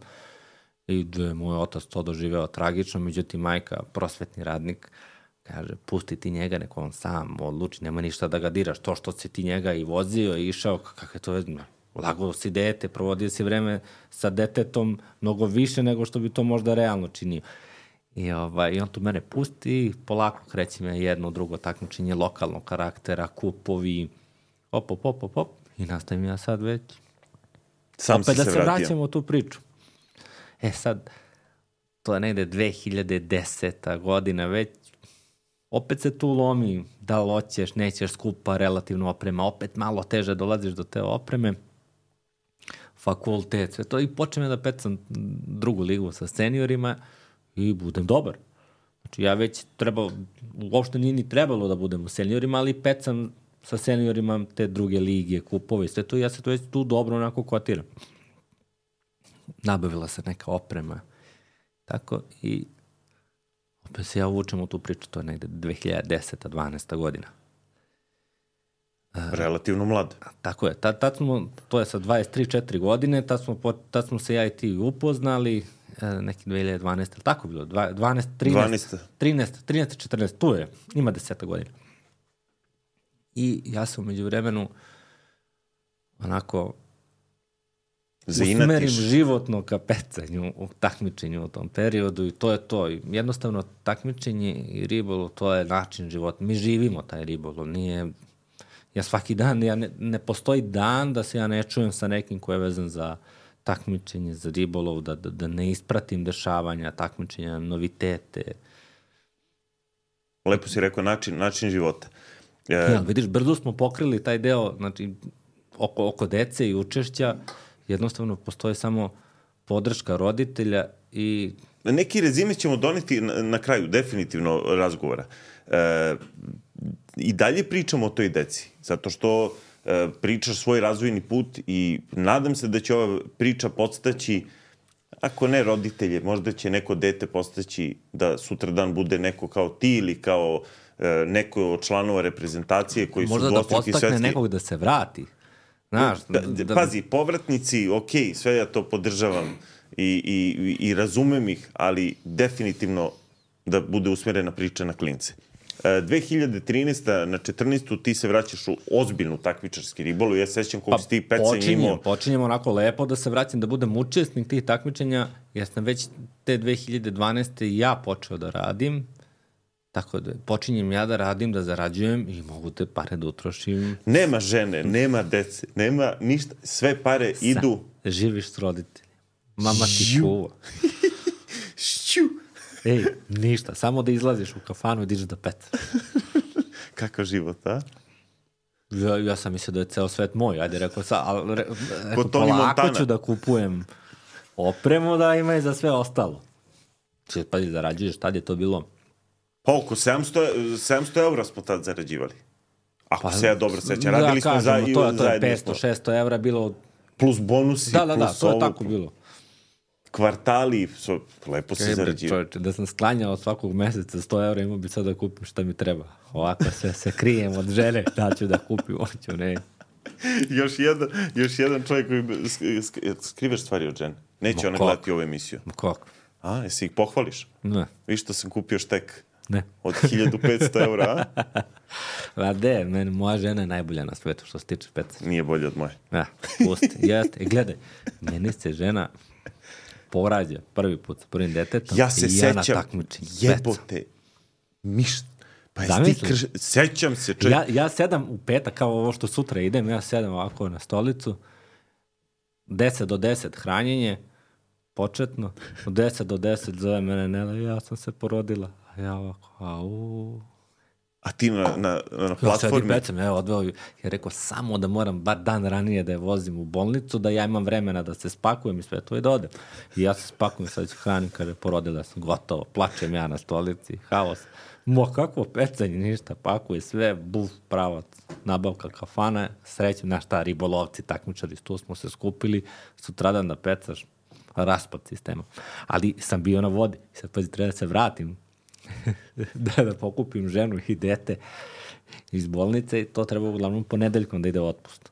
I je moj otac to doživeo tragično, međutim majka, prosvetni radnik, kaže, pusti ti njega, neko on sam odluči, nema ništa da ga diraš. To što si ti njega i vozio i išao, kako je to je, lagao si dete, provodio si vreme sa detetom mnogo više nego što bi to možda realno činio. I, ovaj, i on tu mene pusti, polako kreće me jedno, drugo takmičenje lokalnog karaktera, kupovi, op, op, op, op, op, i nastavim ja sad već. Sam opet si da se se vratio. vraćamo u tu priču. E sad, to je negde dve hiljade deseta godina već, opet se tu lomi, da li hoćeš, nećeš, skupa relativno oprema, opet malo teže dolaziš do te opreme, fakultet, sve to, i počnem da pecam drugu ligu sa seniorima i budem dobar. Znači ja već trebao, uopšte nije ni trebalo da budem u seniorima, ali pecam sa seniorima te druge lige, kupove, sve to, i ja se to već tu dobro onako kotiram. Nabavila se neka oprema, tako, i opet se ja uvučem u tu priču, to je negde dve hiljade deseta dvanaesta godina. Relativno mlad. Tako je, tad, tad smo, to je sa dvadeset tri četiri godine, tad smo, tad smo se ja i ti upoznali, neki dve hiljade dvanaeste, tako bilo, dvanaest, trinaest, trinaest, trinaest, četrnaest, tu je, ima deseta godina. I ja sam umeđu vremenu onako usmerim životno ka pecanju u takmičenju u tom periodu i to je to. I jednostavno takmičenje i ribolov, to je način života. Mi živimo taj ribolov, nije... Ja svaki dan, ja ne, ne postoji dan da se ja ne čujem sa nekim ko je vezan za takmičenje, za ribolov, da, da, da ne ispratim dešavanja, takmičenja, novitete. Lepo si rekao, način, način života. E... Ja, vidiš, brzo smo pokrili taj deo, znači, oko, oko dece i učešća, jednostavno postoji samo podrška roditelja i... Neki rezime ćemo doneti na, na kraju, definitivno, razgovora. E, I dalje pričamo o toj deci, zato što e, pričaš svoj razvojni put i nadam se da će ova priča podstaći, ako ne roditelje, možda će neko dete podstaći da sutradan bude neko kao ti ili kao e, neko od članova reprezentacije koji možda su dvostruki svetski... Možda da podstakne nekog da se vrati. Znaš, da, da... Pazi, povratnici, ok, sve ja to podržavam i, i, i razumem ih, ali definitivno da bude usmjerena priča na klince. dve hiljade trinaeste na četrnaestu ti se vraćaš u ozbiljnu takmičarski ribolov. Ja sećam koliko pa, si ti pecanje imao. Počinjem onako lepo da se vraćam, da budem učesnik tih takmičenja. Ja sam već te dve hiljade dvanaeste ja počeo da radim. Tako da počinjem ja da radim, da zarađujem i mogu te pare da utrošim. Nema žene, nema dece, nema ništa. Sve pare Sa, idu... Živiš s roditeljima. Mama ti kuva. Šću. Ej, ništa. Samo da izlaziš u kafanu i dižeš da pecaš. Kakav život, a? Ja, ja sam mislio da je ceo svet moj. Ajde, rekao sam, ali re, rekao, polako ću da kupujem opremu da ima i za sve ostalo. Če, pa zarađuješ, tad je to bilo... Pa oko sedamsto eura smo tad zarađivali. Ako pa, se ja dobro sećam. Radili da, smo kažemo, za, to, to je petsto šesto evra bilo... Plus bonusi, da, da, plus da, to je tako bilo. Kvartali, so, lepo se zarađivali. Čovječe, da sam sklanjao svakog meseca sto evra, imao bi sad da kupim šta mi treba. Ovako se, se krijem od žene, da ću da kupim, hoću, ne. još, jedan, još jedan čovjek koji skriveš stvari od žene. Neće Ma ona kak? Gledati ovu emisiju. Ma kako? A, jesi ih pohvališ? Ne. Viš što sam kupio štek Ne. Od hiljadu petsto eura, a? A de, meni, moja žena je najbolja na svetu što se tiče pecanja. Nije bolje od moje. Ja, pusti, jeste. E, gledaj, meni se žena porađa prvi put sa prvim detetom Ja se i ja sećam, na takmičenju. jebote, miš, pa jesi ti Zamisli. krš... Sećam se, čovjek. Ja, ja sedam u petak, kao ovo što sutra idem, ja sedam ovako na stolicu, deset do deset hranjenje, početno, od deset do deset zove mene Nela, ja sam se porodila. A ja ovako, au... A ti na, na, na Ja sedi platformi... pecam, evo, odveo ju. Ja rekao, samo da moram bar dan ranije da je vozim u bolnicu, da ja imam vremena da se spakujem i sve to i da odem. I ja se spakujem, sad ću hranim, kaže, porodila sam, gotovo, plačem ja na stolici, haos. Mo, kakvo pecanje, ništa, pakuje sve, buf, pravac, nabavka kafana, srećem, znaš šta, ribolovci, takmičari, tu smo se skupili, sutradan da pecaš, raspad sistema. Ali sam bio na vodi, sad pazi, treba da se vratim, da, da pokupim ženu i dete iz bolnice i to treba uglavnom ponedeljkom da ide u otpust.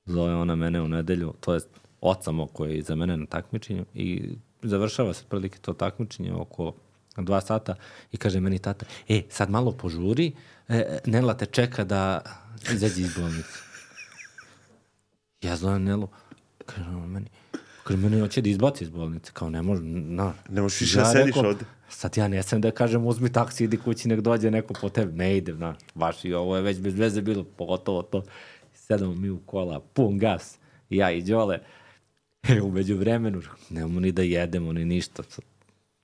Zove ona mene u nedelju, to je oca moj koji je iza mene na takmičenju i završava se prilike to takmičenje oko dva sata i kaže meni tata, e, sad malo požuri, e, Nela te čeka da izađe iz bolnice. Ja zovem Nelu, kaže ona meni, kaže meni hoće da izbaci iz bolnice, kao ne može, no. Ne možeš više da sediš ovde. Sad ja ne sam da kažem uzmi taksi, idi kući, nek dođe neko po tebi. Ne idem, znaš, baš i ovo je već bez veze bilo, pogotovo to. Sedamo mi u kola, pun gas, ja i Đole. E, umeđu vremenu, nemamo ni da jedemo, ni ništa,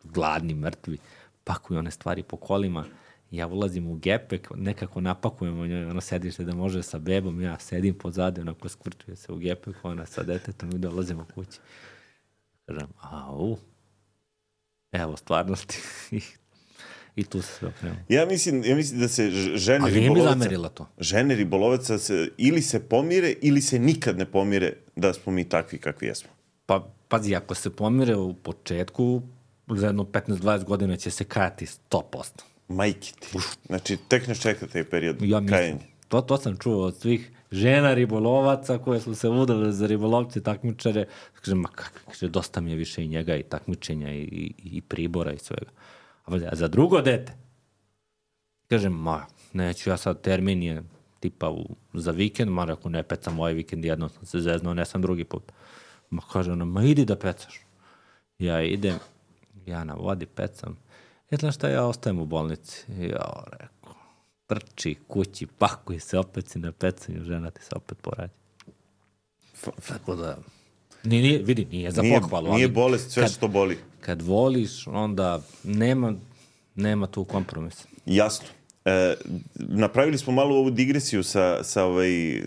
gladni, mrtvi. Pakuju one stvari po kolima, ja ulazim u gepek, nekako napakujemo njoj, ono sedište da može sa bebom, ja sedim pozade, onako skvrčuje se u gepek, ona sa detetom i dolazimo kući. Kažem, au, evo stvarnosti. I tu se sve okrenuo. Ja mislim, ja mislim da se žene Ali ribolovaca... Ali mi zamerila to. Žene ribolovaca se, ili se pomire, ili se nikad ne pomire da smo mi takvi kakvi jesmo. Pa, pazi, ako se pomire u početku, za jedno petnaest dvadeset godina će se kajati sto posto. Majke ti. Znači, tek ne čeka taj period ja kajanja. To, to sam čuo od svih žena ribolovaca koje su se udale za ribolovce i takmičare. Kažem, ma kako, kaže, dosta mi je više i njega i takmičenja i, i, i pribora i svega. A za drugo dete, kažem, ma, neću ja sad termin je tipa u, za vikend, ma ako ne pecam ovaj vikend, jedno sam se zeznuo, ne sam drugi put. Ma kaže ona, ma idi da pecaš. Ja idem, ja na vodi pecam. I znaš šta, ja ostajem u bolnici. Ja rekao, trči kući, pakuj se, opet si na pecanju, žena ti se opet porađa. Tako da, nije, nije, vidi, nije za nije, pohvalu. Nije ali bolest sve kad, što boli. Kad voliš, onda nema, nema tu kompromisa. Jasno. E, napravili smo malo ovu digresiju sa, sa ovaj,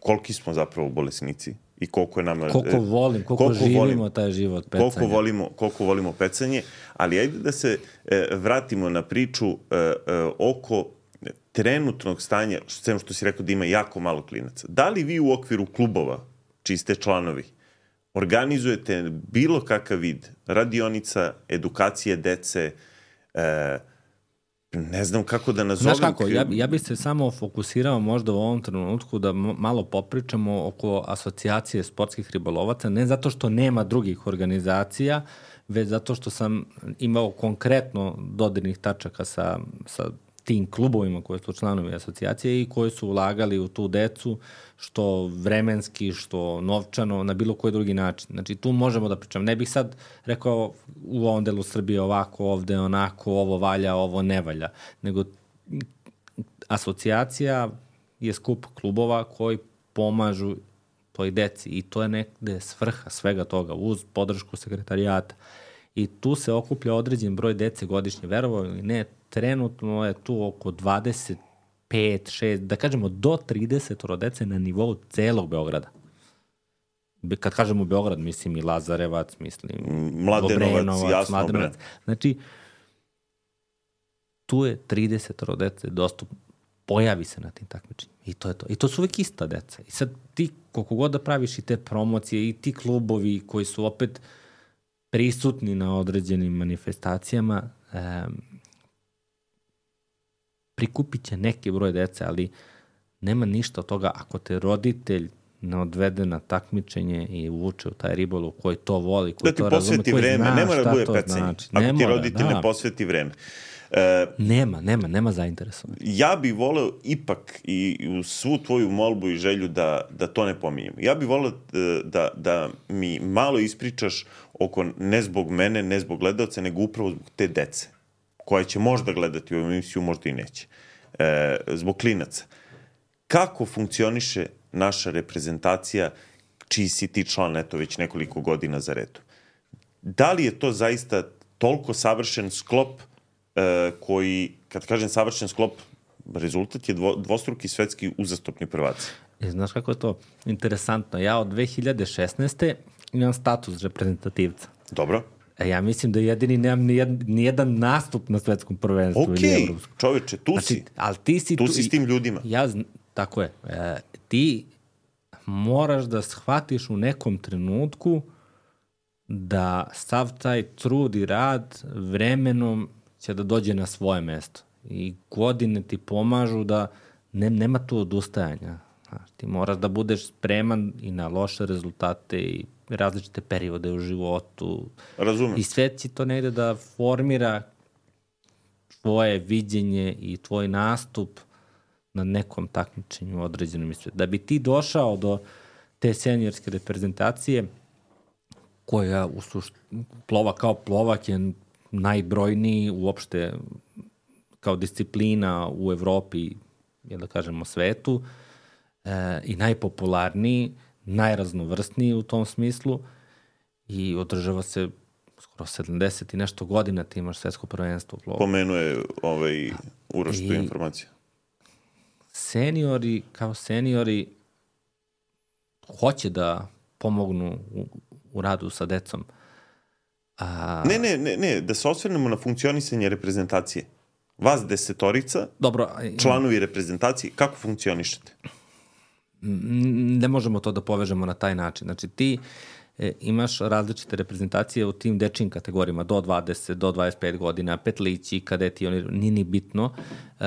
koliki smo zapravo bolesnici i koliko je nama... Koliko volim, koliko, koliko živimo volim, taj život pecanja. Koliko volimo, koliko volimo pecanje, ali ajde da se e, vratimo na priču e, e, oko trenutnog stanja, sem što si rekao da ima jako malo klinaca. Da li vi u okviru klubova, čiji ste članovi, organizujete bilo kakav vid radionica, edukacije dece, e, ne znam kako da nazovem... Znaš kako, ja, ja bih se samo fokusirao možda u ovom trenutku da malo popričamo oko asocijacije sportskih ribolovaca, ne zato što nema drugih organizacija, već zato što sam imao konkretno dodirnih tačaka sa, sa tim klubovima koji su članovi asocijacije i koji su ulagali u tu decu, što vremenski, što novčano, na bilo koji drugi način. Znači, tu možemo da pričam. Ne bih sad rekao u ovom delu Srbije ovako, ovde onako, ovo valja, ovo ne valja. Nego asocijacija je skup klubova koji pomažu toj deci i to je nekde svrha svega toga, uz podršku sekretarijata. I tu se okuplja određen broj dece godišnje. Verovao ili ne, trenutno je tu oko dvadeset pet, šest, da kažemo do trideset dece na nivou celog Beograda. Kad kažemo Beograd, mislim i Lazarevac, mislim Mladenovac, Obrenovac, jasno. Mladenovac. Znači, tu je trideset dece dostupno, pojavi se na tim takmičenjima. I to je to. I to su uvek ista deca. I sad ti, koliko god da praviš i te promocije i ti klubovi koji su opet prisutni na određenim manifestacijama, um, prikupit će neki broj dece, ali nema ništa od toga ako te roditelj ne odvede na takmičenje i uvuče u taj ribolov koji to voli, koji da ti to razume, posveti koji vreme, zna ne mora šta da bude to pecenje. znači. Ako Ne ti mora, roditelj da. ne posveti vreme. E, Nema, nema, nema zainteresovanja. ja bih voleo ipak i u svu tvoju molbu i želju da, da to ne pominjemo. Ja bih voleo da, da mi malo ispričaš oko, ne zbog mene, ne zbog gledalca, nego upravo zbog te dece, koja će možda gledati ovu emisiju, možda i neće. E, zbog klinaca. Kako funkcioniše naša reprezentacija, čiji si ti član, eto, već nekoliko godina za redu? Da li je to zaista toliko savršen sklop e, koji, kad kažem savršen sklop, rezultat je dvo, dvostruki svetski uzastopni prvaci? E, znaš kako je to interesantno? Ja od dve hiljade šesnaeste imam status reprezentativca. Dobro. E, ja mislim da jedini nemam nijedan, nijedan nastup na svetskom prvenstvu okay. ili evropskom. Čoveče, tu znači, si. Ali ti si tu tu, si s tim ljudima. Ja, tako je. E, ti moraš da shvatiš u nekom trenutku da sav taj trud i rad vremenom će da dođe na svoje mesto. I godine ti pomažu da ne, nema tu odustajanja. Znaš, ti moraš da budeš spreman i na loše rezultate i različite periode u životu. Razumem. I sve će to negde da formira tvoje viđenje i tvoj nastup na nekom takmičenju određenom i sve. Da bi ti došao do te seniorske reprezentacije koja u sušt... plova kao plovak je najbrojniji uopšte kao disciplina u Evropi, je da kažemo svetu, e, i najpopularniji, najraznovrsniji u tom smislu i održava se skoro sedamdeset i nešto godina ti imaš svetsko prvenstvo u plovu. Pomenuje ovaj Uroš tu informaciju. Seniori, kao seniori, hoće da pomognu u, u radu sa decom. A... Ne, ne, ne, ne, da se osvrnemo na funkcionisanje reprezentacije. Vas desetorica, Dobro, članovi reprezentacije, kako funkcionišete? Ne možemo to da povežemo na taj način. Znači ti e, imaš različite reprezentacije u tim dečijim kategorijama, do dvadeset, do dvadeset pet godina, petlići, kadeti, oni, nije ni bitno. E,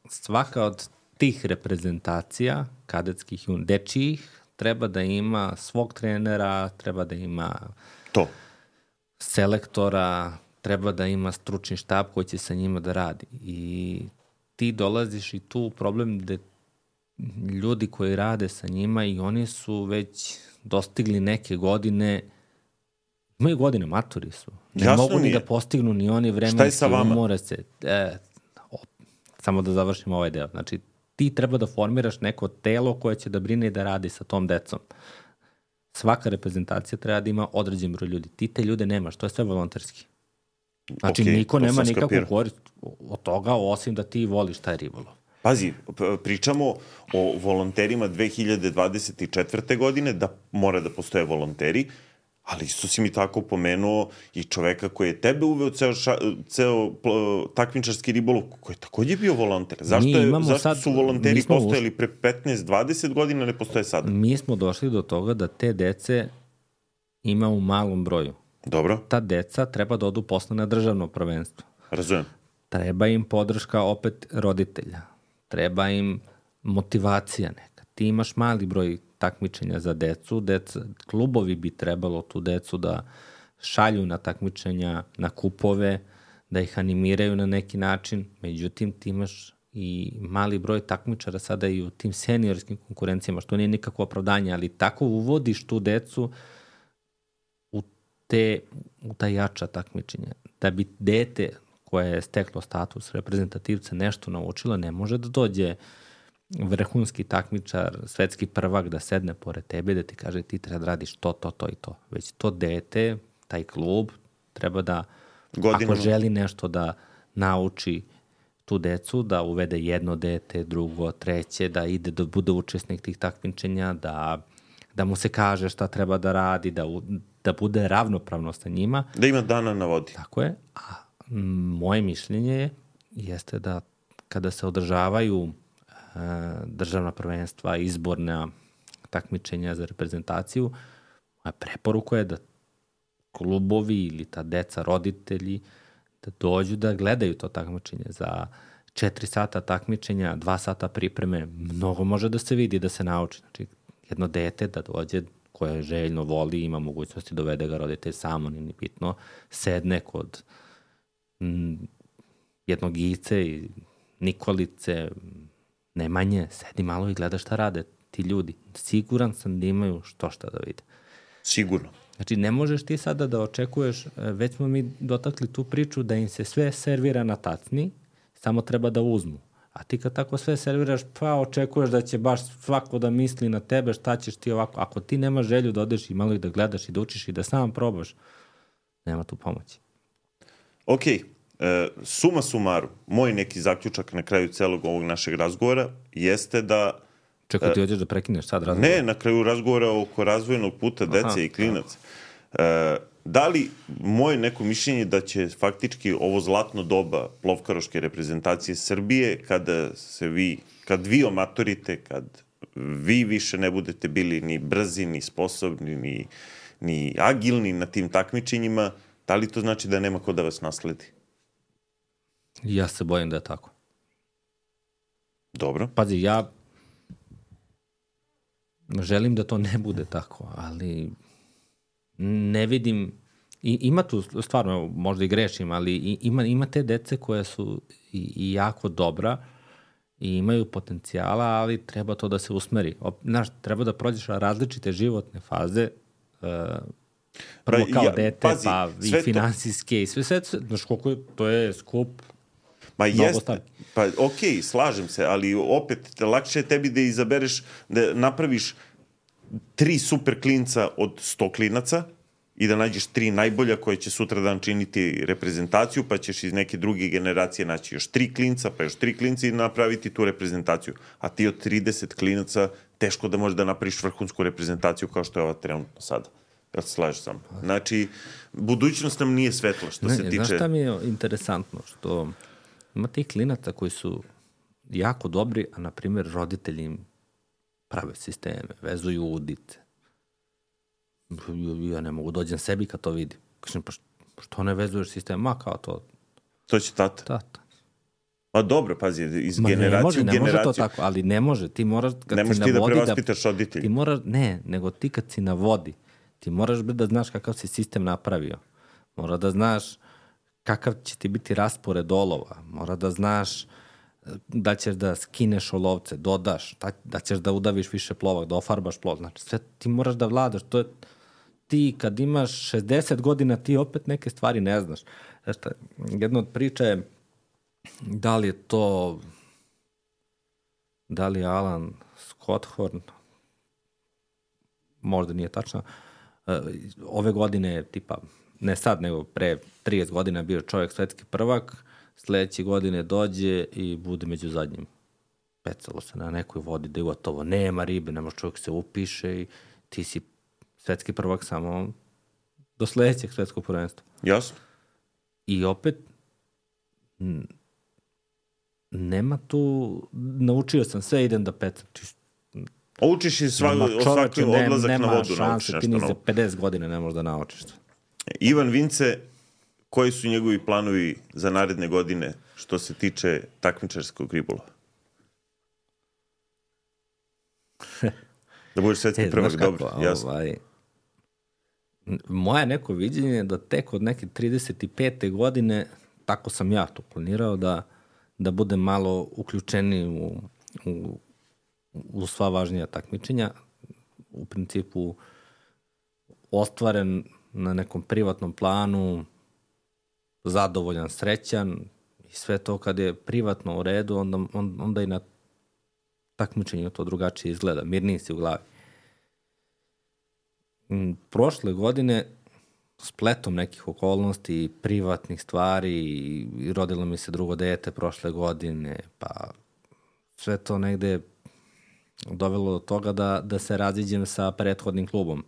svaka od tih reprezentacija, kadetskih i dečijih, treba da ima svog trenera, treba da ima to. selektora, treba da ima stručni štab koji će sa njima da radi. I ti dolaziš i tu problem gde ljudi koji rade sa njima i oni su već dostigli neke godine, imaju godine, maturi su. Ne Jasno mogu mi ni je. da postignu ni oni vremenski. Šta je sa vama? Umore se. E, o, samo da završim ovaj deo. Znači, ti treba da formiraš neko telo koje će da brine i da radi sa tom decom. Svaka reprezentacija treba da ima određen broj ljudi. Ti te ljude nemaš, to je sve volonterski. Znači, okay, niko nema nikakvu korist od toga, osim da ti voliš taj ribolov. Pazi, pričamo o volonterima dve hiljade dvadeset četvrte godine, da mora da postoje volonteri, ali isto si mi tako pomenuo i čoveka koji je tebe uveo ceo, ša, ceo takmičarski ribolov, koji je takođe bio volonter. Zašto, je, zašto sad, su volonteri postojali uš... pre petnaest dvadeset godina, ne postoje sada? Mi smo došli do toga da te dece ima u malom broju. Dobro. Ta deca treba da odu posle na državno prvenstvo. Razumem. Treba im podrška opet roditelja. Treba im motivacija neka. Ti imaš mali broj takmičenja za decu. Deca, klubovi bi trebalo tu decu da šalju na takmičenja, na kupove, da ih animiraju na neki način. Međutim, ti imaš i mali broj takmičara sada i u tim seniorskim konkurencijama, što nije nikakvo opravdanje, ali tako uvodiš tu decu u, te, u ta jača takmičenja. Da bi dete koje je steklo status reprezentativca nešto naučilo, ne može da dođe vrhunski takmičar, svetski prvak da sedne pored tebe da ti kaže ti treba da radiš to, to, to i to. Već to dete, taj klub, treba da, Godinu. Ako želi nešto da nauči tu decu, da uvede jedno dete, drugo, treće, da ide, da bude učesnik tih takmičenja, da, da mu se kaže šta treba da radi, da, da bude ravnopravno sa njima. Da ima dana na vodi. Tako je. A moje mišljenje jeste da kada se održavaju e, državna prvenstva, izborna takmičenja za reprezentaciju, moja preporuka je da klubovi ili ta deca, roditelji, da dođu da gledaju to takmičenje. Za četiri sata takmičenja, dva sata pripreme, mnogo može da se vidi, da se nauči. Znači, jedno dete da dođe koje željno voli, ima mogućnosti dovede ga roditelj samo, nije bitno, sedne kod m, jednog Ice i Nikolice, Nemanje, sedi malo i gleda šta rade ti ljudi. Siguran sam da imaju što šta da vide. Sigurno. Znači, ne možeš ti sada da očekuješ, već smo mi dotakli tu priču da im se sve servira na tacni, samo treba da uzmu. A ti kad tako sve serviraš, pa očekuješ da će baš svako da misli na tebe, šta ćeš ti ovako. Ako ti nemaš želju da odeš i malo i da gledaš i da učiš i da sam probaš, nema tu pomoći. Ok, e, suma sumaru, moj neki zaključak na kraju celog ovog našeg razgovora jeste da... Čekaj, ti hoćeš da prekineš sad razgovor? Ne, na kraju razgovora oko razvojnog puta dece Aha, i klinaca. E, da li moje neko mišljenje da će faktički ovo zlatno doba plovkaroške reprezentacije Srbije, kada se vi, kad vi omatorite, kad vi više ne budete bili ni brzi, ni sposobni, ni, ni agilni na tim takmičenjima, da li to znači da nema ko da vas nasledi? Ja se bojim da je tako. Dobro. Pazi, ja želim da to ne bude tako, ali ne vidim, i, ima tu stvarno, možda i grešim, ali i, ima, ima te dece koje su i, i jako dobra i imaju potencijala, ali treba to da se usmeri. Znaš, treba da prođeš različite životne faze, uh, prvo kao ja, dete, pazi, pa i finansijske to... i sve, sve, znaš koliko je, to je skup. Ma jeste, pa okej, okay, slažem se, ali opet lakše je tebi da izabereš, da napraviš tri super klinca od sto klinaca i da nađeš tri najbolja koje će sutra dan činiti reprezentaciju, pa ćeš iz neke druge generacije naći još tri klinca, pa još tri klinca i napraviti tu reprezentaciju. A ti od trideset klinaca teško da možeš da napraviš vrhunsku reprezentaciju kao što je ova trenutno sada. Ja se slažem sam. Znači, budućnost nam nije svetla što ne, se tiče... Znaš šta mi je interesantno? Što ima tih klinaca koji su jako dobri, a na primjer roditelji im prave sisteme, vezuju udice. Ja ne mogu dođem sebi kad to vidim. Kažem, pa što ne vezuješ sistem? Ma kao to. To će tata. Tata. Pa dobro, pazi, iz Ma generacije može, u ne generaciju. Ne može to tako, ali ne može. Ti moraš, kad ne možeš ti da prevaspitaš roditelji. Ti moraš, ne, nego ti kad si na vodi, ti moraš da znaš kakav si sistem napravio. Mora da znaš kakav će ti biti raspored olova. Mora da znaš da ćeš da skineš olovce, dodaš, da, da ćeš da udaviš više plovak, da ofarbaš plov. Znači, sve ti moraš da vladaš. To je, ti kad imaš šezdeset godina, ti opet neke stvari ne znaš. Znači, jedna od priča je da li je to da li je Alan Scotthorn, možda nije tačno, ove godine, tipa, ne sad, nego pre trideset godina bio čovjek svetski prvak, sledeće godine dođe i bude među zadnjim. Pecalo se na nekoj vodi da je gotovo. Nema ribe, nema čovjek se upiše i ti si svetski prvak samo do sledećeg svetskog prvenstva. Jasno. I opet nema tu, naučio sam sve, idem da pecam. A učiš i svaki odlazak ne, na vodu. Nema šanse, ti ni za pedeset godina ne možeš da naučiš. Ivan Vince, koji su njegovi planovi za naredne godine što se tiče takmičarskog ribolova? Da budeš svetski e, prvak, dobro, jasno. Ovaj, moje neko viđenje je da tek od neke trideset pete godine, tako sam ja to planirao, da, da budem malo uključeni u, u, u sva važnija takmičenja. U principu ostvaren na nekom privatnom planu, zadovoljan, srećan i sve to kad je privatno u redu, onda, onda i na takmičenju to drugačije izgleda, mirniji si u glavi. Prošle godine, spletom nekih okolnosti, privatnih stvari, i rodilo mi se drugo dete prošle godine, pa sve to negde dovelo do toga da, da se raziđem sa prethodnim klubom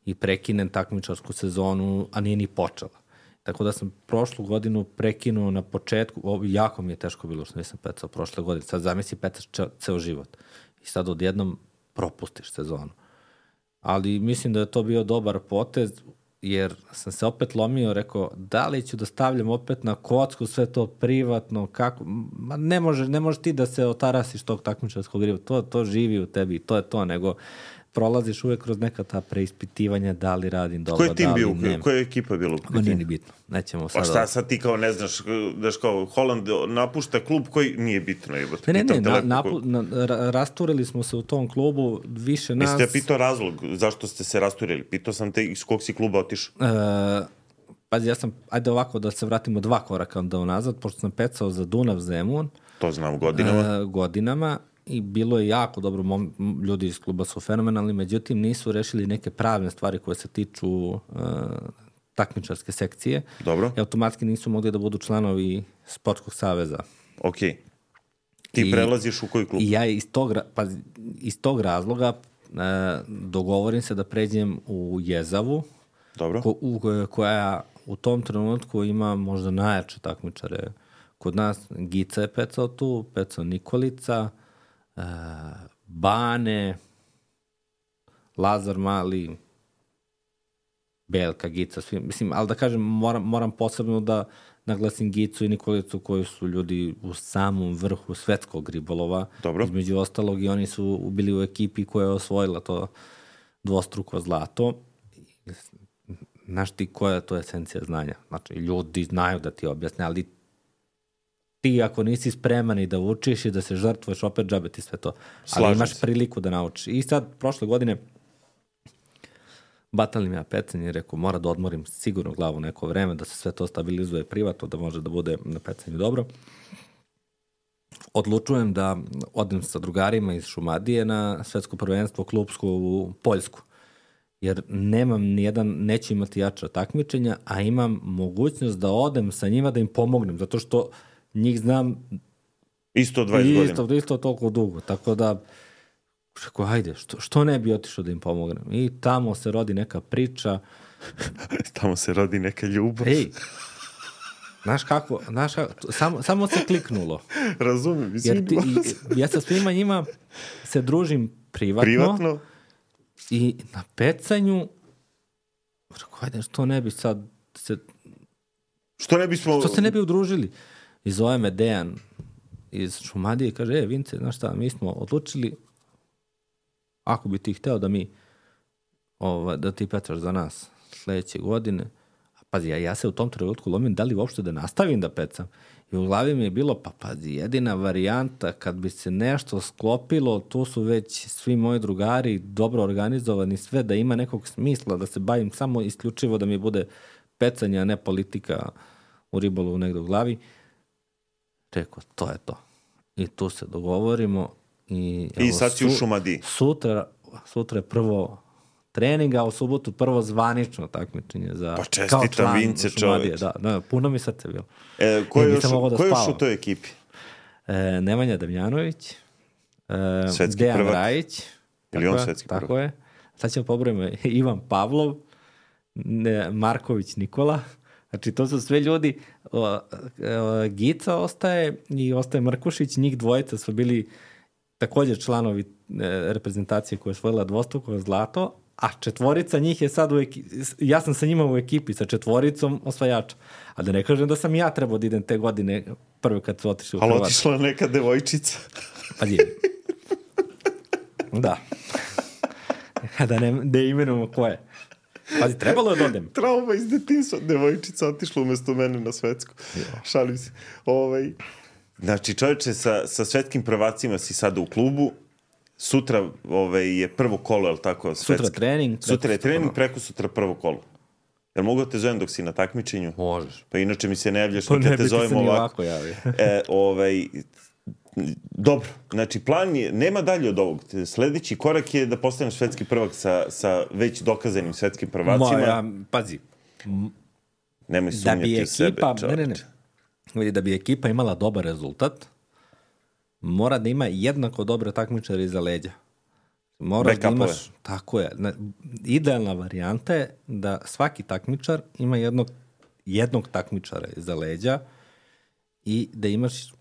i prekinem takmičarsku sezonu, a nije ni počela. Tako da sam prošlu godinu prekinuo na početku, ovo, jako mi je teško bilo što nisam pecao prošle godine, sad zamisli pecaš ceo život i sad odjednom propustiš sezonu. Ali mislim da je to bio dobar potez, jer sam se opet lomio, rekao, da li ću da stavljam opet na kocku sve to privatno, kako, ma ne može, ne može ti da se otarasiš tog takmičarskog riba, to, to živi u tebi, to je to, nego prolaziš uvek kroz neka ta preispitivanja da li radim dobro, Ko je tim da li bio? nema. Koja je ekipa bila? Ma nije ni bitno. Nećemo sada... Pa šta sad ti kao ne znaš, daš kao Holand napušta klub koji nije bitno. Ne, ne, ne, na, napu, na, ra, rasturili smo se u tom klubu, više nas... Jeste ja pitao razlog zašto ste se rasturili? Pitao sam te iz kog si kluba otišao? E, pazi, ja sam, ajde ovako da se vratimo dva koraka onda unazad, pošto sam pecao za Dunav Zemun. To znam godinama. E, godinama. I bilo je jako dobro, mom, ljudi iz kluba su fenomenalni, međutim nisu rešili neke pravne stvari koje se tiču uh, takmičarske sekcije. Dobro. I automatski nisu mogli da budu članovi Sportskog saveza. Ok. Ti I, prelaziš u koji klub? I ja iz tog, pa, iz tog razloga uh, dogovorim se da pređem u Jezavu, Dobro. Ko, u, koja u tom trenutku ima možda najjače takmičare kod nas. Gica je pecao tu, pecao Nikolica, Uh, Bane, Lazar Mali, Belka, Gica, svi, mislim, ali da kažem, moram, moram posebno da naglasim Gicu i Nikolicu koji su ljudi u samom vrhu svetskog ribolova. Dobro. Između ostalog i oni su bili u ekipi koja je osvojila to dvostruko zlato. Znaš ti koja je to esencija znanja? Znači, ljudi znaju da ti objasne, ali ti ako nisi spreman i da učiš i da se žrtvuješ, opet džabe ti sve to. Slažem ali imaš se. priliku da naučiš. I sad, prošle godine, batalim ja pecanje i rekao, mora da odmorim sigurno glavu neko vreme, da se sve to stabilizuje privatno, da može da bude na pecanju dobro. Odlučujem da odem sa drugarima iz Šumadije na svetsko prvenstvo klubsko u Poljsku. Jer nemam nijedan, neću imati jača takmičenja, a imam mogućnost da odem sa njima da im pomognem, zato što njih znam isto dvadeset isto, godina. Isto toliko dugo, tako da rekao, ajde, što, što ne bi otišao da im pomognem? I tamo se rodi neka priča. Tamo se rodi neka ljubav. Ej, znaš kako, znaš kako, samo, samo se kliknulo. Razumim, jer ti, i, ja sa svima njima se družim privatno. Privatno? I na pecanju rekao, ajde, što ne bi sad se... Što ne bismo... Što se ne bi udružili? I zove me Dejan iz Šumadije i kaže, e, Vince, znaš šta, mi smo odlučili, ako bi ti hteo da mi, ovaj, da ti pecaš za nas sledeće godine, a pazi, ja, ja se u tom trenutku lomim da li uopšte da nastavim da pecam. I u glavi mi je bilo, pa pazi, jedina varijanta, kad bi se nešto sklopilo, tu su već svi moji drugari dobro organizovani, sve da ima nekog smisla, da se bavim samo isključivo da mi bude pecanje, a ne politika u ribolovu negde u glavi. Rekao, to je to. I tu se dogovorimo. I, I sad si u Šumadiji. Sutra, sutra je prvo trening, a u subotu prvo zvanično takmičenje za pa čestitam Vince, čoveč. Da, da, puno mi srce bilo. E, ko je još, da ko još u toj ekipi? E, Nemanja Damjanović, e, Dejan prvak. Rajić. Ili on svetski prvak? Tako je. Sad ćemo pobrojimo Ivan Pavlov, ne, Marković Nikola. Znači, to su sve ljudi, o, o, Gica ostaje i ostaje Mrkušić, njih dvojica su bili također članovi e, reprezentacije koja je osvojila dvostruko zlato, a četvorica njih je sad u ekipi, ja sam sa njima u ekipi, sa četvoricom osvajača. A da ne kažem da sam ja trebao da idem te godine prve kad su otišli u Hrvatsku. Ali otišla neka devojčica. Pa je. Da. Da ne, ne imenujemo ko je. Pazi, trebalo je da odem. Trauma iz detinjstva. Devojčica otišla umesto mene na svetsku. Šalim se. Ovaj... Znači, čovječe, sa, sa svetskim prvacima si sada u klubu. Sutra ovaj, je prvo kolo, je li tako? Svetski? Sutra trening. Sutra je trening, preko sutra prvo kolo. Jel mogu da te zovem dok si na takmičenju? Možeš. Pa inače mi se ne javljaš, pa nikad ne te zovem ovako. ovako javio. e, ovaj... Dobro, znači plan je, nema dalje od ovog. Sledeći korak je da postaneš svetski prvak sa, sa već dokazanim svetskim prvacima. Moja, pazi. Nemoj sumnjati u sebe, čovječe. Ne, ne, ne. Da bi ekipa imala dobar rezultat, mora da ima jednako dobre takmičare iza leđa. Moraš da imaš, tako je. Idealna varijanta je da svaki takmičar ima jednog, jednog takmičara iza leđa i da imaš,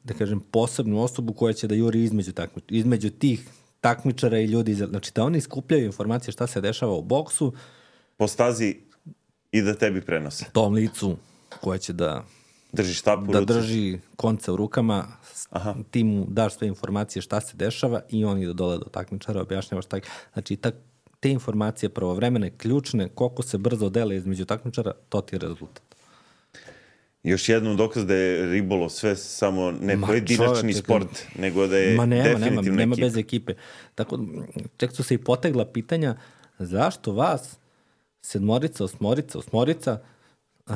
da kažem, posebnu osobu koja će da juri između, takmič, između tih takmičara i ljudi. Znači da oni skupljaju informacije šta se dešava u boksu. Po stazi i da tebi prenose. Tom licu koja će da drži štap u da ruci. drži konce u rukama, Aha. ti mu daš sve informacije šta se dešava i on ide dole do takmičara, objašnjavaš taj, znači tak, te informacije pravovremene, ključne, koliko se brzo dele između takmičara, to ti je rezultat. Još jednom dokaz da je ribolov sve samo ne Ma, pojedinačni čoveče, sport, nego da je Ma nema, definitivno nema, nema ekipa. bez ekipe. Tako, čak su se i potegla pitanja zašto vas sedmorica, osmorica, osmorica, uh,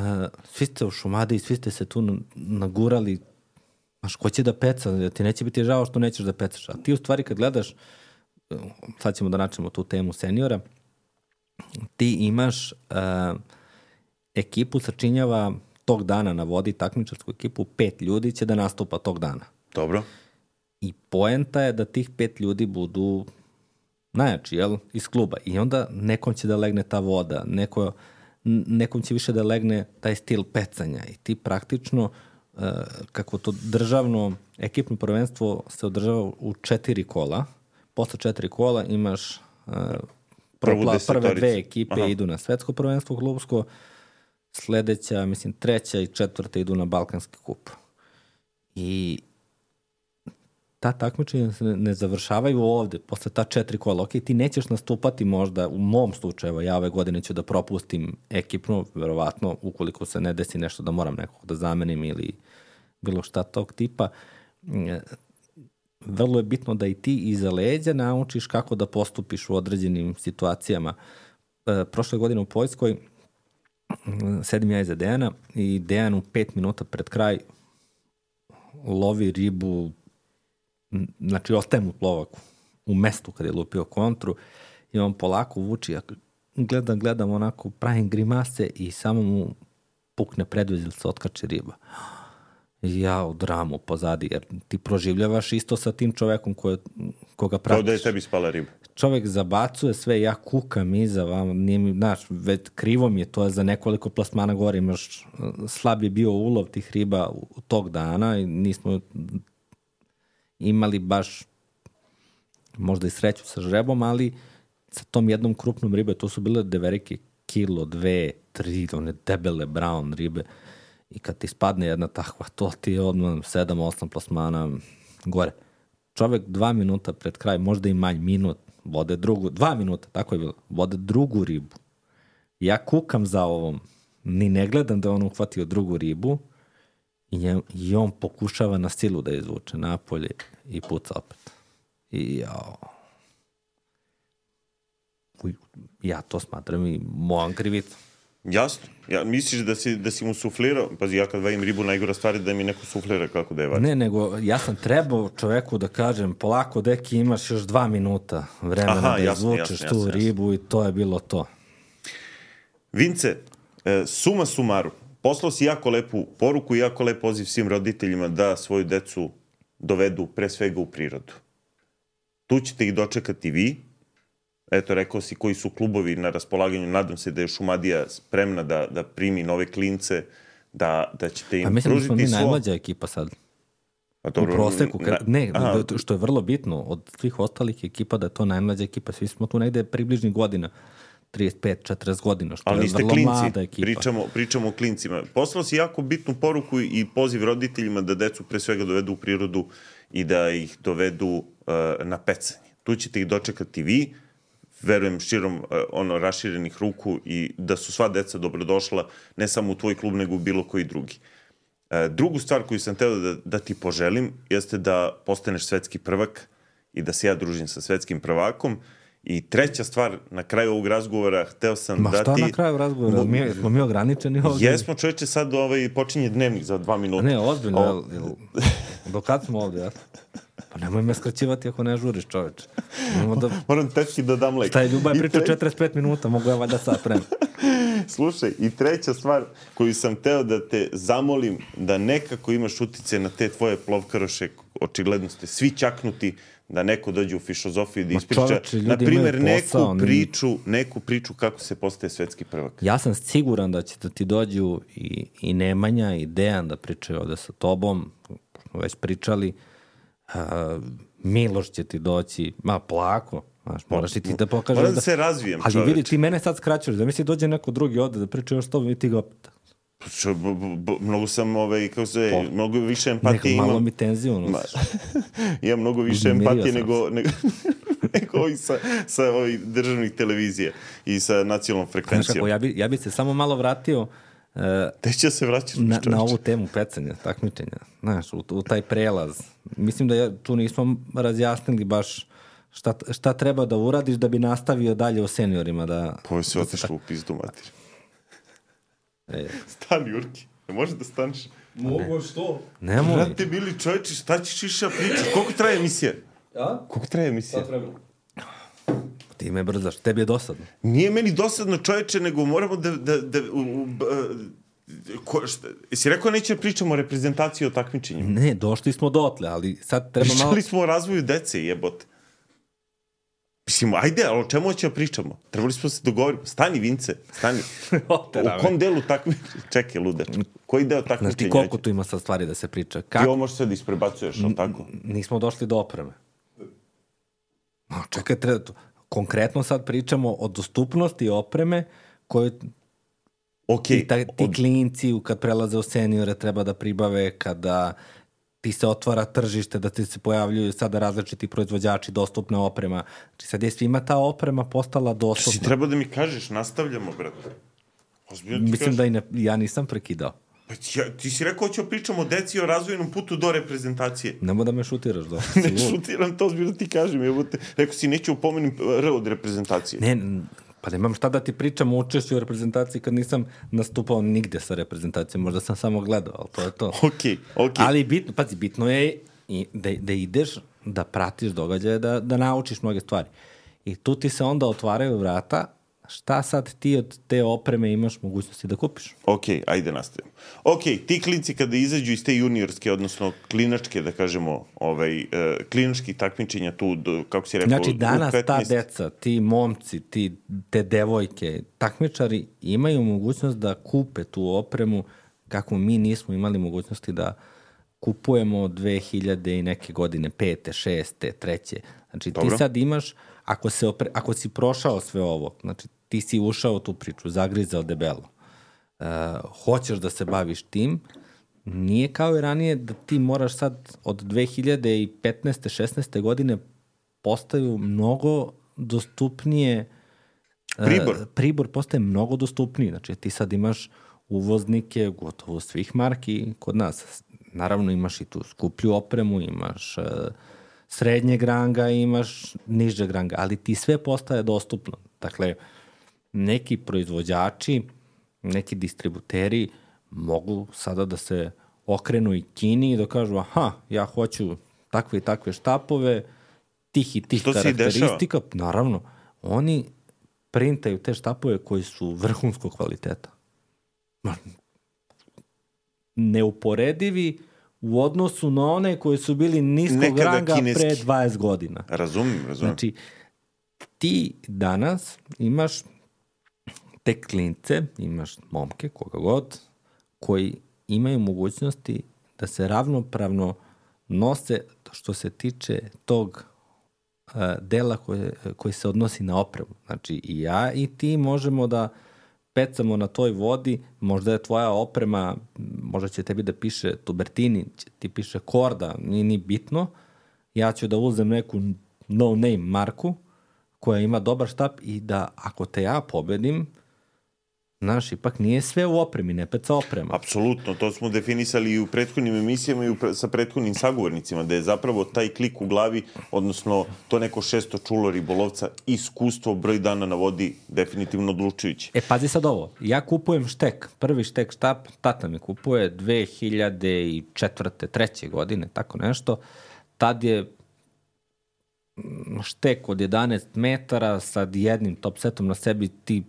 svi ste u Šumadiji, svi ste se tu nagurali, znaš, ko će da peca, ti neće biti žao što nećeš da pecaš. A ti u stvari kad gledaš, sad ćemo da načnemo tu temu seniora, ti imaš uh, ekipu sačinjava tog dana na vodi, takmičarsku ekipu, pet ljudi će da nastupa tog dana. Dobro. I poenta je da tih pet ljudi budu najjači, jel, iz kluba. I onda nekom će da legne ta voda, neko, nekom će više da legne taj stil pecanja. I ti praktično, uh, kako to državno, ekipno prvenstvo se održava u četiri kola. Posle četiri kola imaš uh, propla, prve dve ekipe Aha. idu na svetsko prvenstvo klubsko, sledeća, mislim, treća i četvrta idu na Balkanski kup. I ta takmičenja se ne završavaju ovde, posle ta četiri kola. Ok, ti nećeš nastupati možda, u mom slučaju, ja ove godine ću da propustim ekipno, verovatno, ukoliko se ne desi nešto da moram nekog da zamenim ili bilo šta tog tipa. Vrlo je bitno da i ti iza leđa naučiš kako da postupiš u određenim situacijama. E, prošle godine u Poljskoj sedim ja iza Dejana i Dejan u pet minuta pred kraj lovi ribu, znači ostaje mu plovak u mestu kad je lupio kontru i on polako vuči, ja gledam, gledam onako, pravim grimase i samo mu pukne predvez ili se otkače riba. Ja u dramu pozadi, jer ti proživljavaš isto sa tim čovekom koje, koga pratiš. Kao da je tebi spala riba. Čovek zabacuje sve, ja kukam iza vam, nije mi, znaš, već krivo mi je to za nekoliko plasmana gore, imaš, slab je bio ulov tih riba u tog dana i nismo imali baš možda i sreću sa žrebom, ali sa tom jednom krupnom ribe, to su bile deverike kilo, dve, tri, one debele brown ribe. I kad ti spadne jedna takva, to ti je odmah sedam, osam plasmana gore. Čovek dva minuta pred kraj, možda i manj, minut, vode drugu, dva minuta, tako je bilo, vode drugu ribu. Ja kukam za ovom, ni ne gledam da on uhvatio drugu ribu i, je, i on pokušava na silu da izvuče napolje i puca opet. I jao. Ja to smatram i mojom krivicom. Jasno. Ja, misliš da si, da si mu suflirao? Pazi, ja kad vajim ribu, najgora stvar je da mi neko suflira kako da je vadi. Ne, nego ja sam trebao čoveku da kažem, polako, deki, imaš još dva minuta vremena Aha, da jasno, izvučeš jasno, tu jasno, ribu jasno. I to je bilo to. Vince, suma sumaru, poslao si jako lepu poruku i jako lep poziv svim roditeljima da svoju decu dovedu pre svega u prirodu. Tu ćete ih dočekati vi. Eto, rekao si koji su klubovi na raspolaganju. Nadam se da je Šumadija spremna da, da primi nove klince, da, da ćete im pružiti svo... A mislim da smo mi najmlađa ekipa sad. A dobro, u proseku. Kad, ne, aha. Što je vrlo bitno, od svih ostalih ekipa da je to najmlađa ekipa. Svi smo tu negde približnih godina. trideset pet četrdeset godina, što ali je vrlo klinci, mlada ekipa. Pričamo, pričamo o klincima. Poslao si jako bitnu poruku i poziv roditeljima da decu pre svega dovedu u prirodu i da ih dovedu uh, na pecanje. Tu ćete ih dočekati vi, verujem širom uh, ono raširenih ruku i da su sva deca dobrodošla ne samo u tvoj klub nego u bilo koji drugi. Uh, drugu stvar koju sam teo da, da ti poželim jeste da postaneš svetski prvak i da se ja družim sa svetskim prvakom. I treća stvar, na kraju ovog razgovora, hteo sam Ma da ti... Ma šta na kraju razgovora? Mi, smo mi ograničeni ovdje? Jesmo, čoveče, sad ovaj, počinje dnevnik za dva minuta. Ne, ozbiljno, o... jel, do kad smo ovdje, ja? Pa nemoj me skraćivati ako ne žuriš, čoveče. Da... Moram teški da dam lek. Šta je Ljubaj pričao tre... četrdeset pet minuta, mogu ja valjda sad prema. Slušaj, i treća stvar koju sam teo da te zamolim, da nekako imaš utice na te tvoje plovkaroše, očigledno ste svi čaknuti, da neko dođe u Fišozofiju da ispriča, na primjer, neku priču, neku priču kako se postaje svetski prvak. Ja sam siguran da će da ti dođu i, i Nemanja i Dejan da pričaju ovde sa tobom, smo već pričali, uh, Miloš će ti doći, ma plako, znaš, moraš i ti da pokažeš. Moram da, da se razvijem, ali čoveč. vidi, ti mene sad skraćuješ, da misli dođe neko drugi ovde da priča još s tobom i ti ga opet. Čo, b, b, mnogo sam, ovaj, kako se, po, mnogo više empatije imam. Neko malo mi tenziju Ma, imam mnogo više empatije nego, nego, nego ovi sa, sa ovih državnih televizija i sa nacionalnom frekvencijom. Kako, ja, bi, ja bi se samo malo vratio uh, Te će se vraćaš na, na ovu temu pecanja, takmičenja. Znaš, u, u taj prelaz. Mislim da ja, tu nismo razjasnili baš šta, šta treba da uradiš da bi nastavio dalje u seniorima. Da, Poje se otešlo u pizdu mater. E. Stani, Urki. Ne može da staneš? Mogu, što? Nemoj. Vrate, bili čovječi, šta ćeš iša pričaš? Koliko traje emisija? A? Koliko traje emisija? Šta treba? Ti me brzaš, tebi je dosadno. Nije meni dosadno, čovječe, nego moramo da... da, da u, u, ko, šta, jesi rekao neće pričamo o reprezentaciji o takmičenjima? Ne, došli smo dotle, ali sad treba Pričali malo... Pričali smo o razvoju dece, jebote. Mislim, ajde, ali o čemu ćemo pričamo? Trebali smo se dogovoriti. Stani, Vince, stani. U kom delu takmičenja? Čekaj, ludač. Koji deo takmičenja? Znaš ti koliko tu ima sad stvari da se priča? Kako? Ti ovo možeš sad isprebacuješ, ali tako? Nismo došli do opreme. No, čekaj, treba to. Konkretno sad pričamo o dostupnosti opreme koju okay. ti, ta, ti klinci kad prelaze u seniore treba da pribave, kada ti se otvara tržište, da ti se pojavljuju sada različiti proizvođači, dostupna oprema. Znači sad je svima ta oprema postala dostupna. Si treba da mi kažeš, nastavljamo, brate. Ozbiljno ti Mislim kažeš. da i ne, ja nisam prekidao. Pa ja, ti si rekao ćemo pričamo o deci o razvojnom putu do reprezentacije. Nemo da me šutiraš. Da. Ne šutiram, to ozbiljno ti kažem. Jebote. Rekao si, neću upomenim R od reprezentacije. Ne, pa nemam šta da ti pričam o učešću u reprezentaciji kad nisam nastupao nigde sa reprezentacijom. Možda sam samo gledao, ali to je to. Okej, okej. Ali bitno, pazi, bitno je i da, da ideš, da pratiš događaje, da, da naučiš mnoge stvari. I tu ti se onda otvaraju vrata. Šta sad ti od te opreme imaš mogućnosti da kupiš? Ok, ajde nastavimo. Ok, ti klinci kada izađu iz te juniorske, odnosno klinačke, da kažemo, ovaj, uh, klinački takmičenja tu, do, kako si rekao, znači danas petnaest... ta deca, ti momci, ti, te devojke, takmičari imaju mogućnost da kupe tu opremu kako mi nismo imali mogućnosti da kupujemo dve hiljade i neke godine, pete, šeste, treće. Znači Dobro. Ti sad imaš, ako, se opre, ako si prošao sve ovo, znači ti si ušao u tu priču, zagrizao debelo, uh, hoćeš da se baviš tim, nije kao i ranije da ti moraš sad od dve hiljade petnaeste šesnaeste godine postaju mnogo dostupnije, pribor. Uh, pribor postaje mnogo dostupniji, znači ti sad imaš uvoznike gotovo svih marki kod nas. Naravno imaš i tu skuplju opremu, imaš uh, srednjeg ranga, imaš nižeg ranga, ali ti sve postaje dostupno. Dakle, neki proizvođači, neki distributeri mogu sada da se okrenu i Kini i da kažu, aha, ja hoću takve i takve štapove, tih i tih karakteristika. Naravno, oni printaju te štapove koji su vrhunskog kvaliteta. Neuporedivi u odnosu na one koji su bili niskog Nekada ranga kineski. Pre dvadeset godina. Razumim, razumim. Znači, ti danas imaš te klince, imaš momke, koga god, koji imaju mogućnosti da se ravnopravno nose što se tiče tog uh, dela koje, koji se odnosi na opremu. Znači, i ja i ti možemo da pecamo na toj vodi, možda je tvoja oprema, možda će tebi da piše Tubertini, ti piše Korda, nije ni bitno, ja ću da uzem neku no-name marku koja ima dobar štap i da ako te ja pobedim, znaš, ipak nije sve u opremi, ne peca oprema. Apsolutno, to smo definisali i u prethodnim emisijama i u pre, sa prethodnim sagovornicima, da je zapravo taj klik u glavi, odnosno to neko šesto čulo ribolovca, iskustvo broj dana na vodi definitivno odlučujuće. E, pazi sad ovo, ja kupujem štek, prvi štek štap, tata mi kupuje dve hiljade četvrte, treće godine, tako nešto, tad je štek od jedanaest metara sa jednim top setom na sebi, ti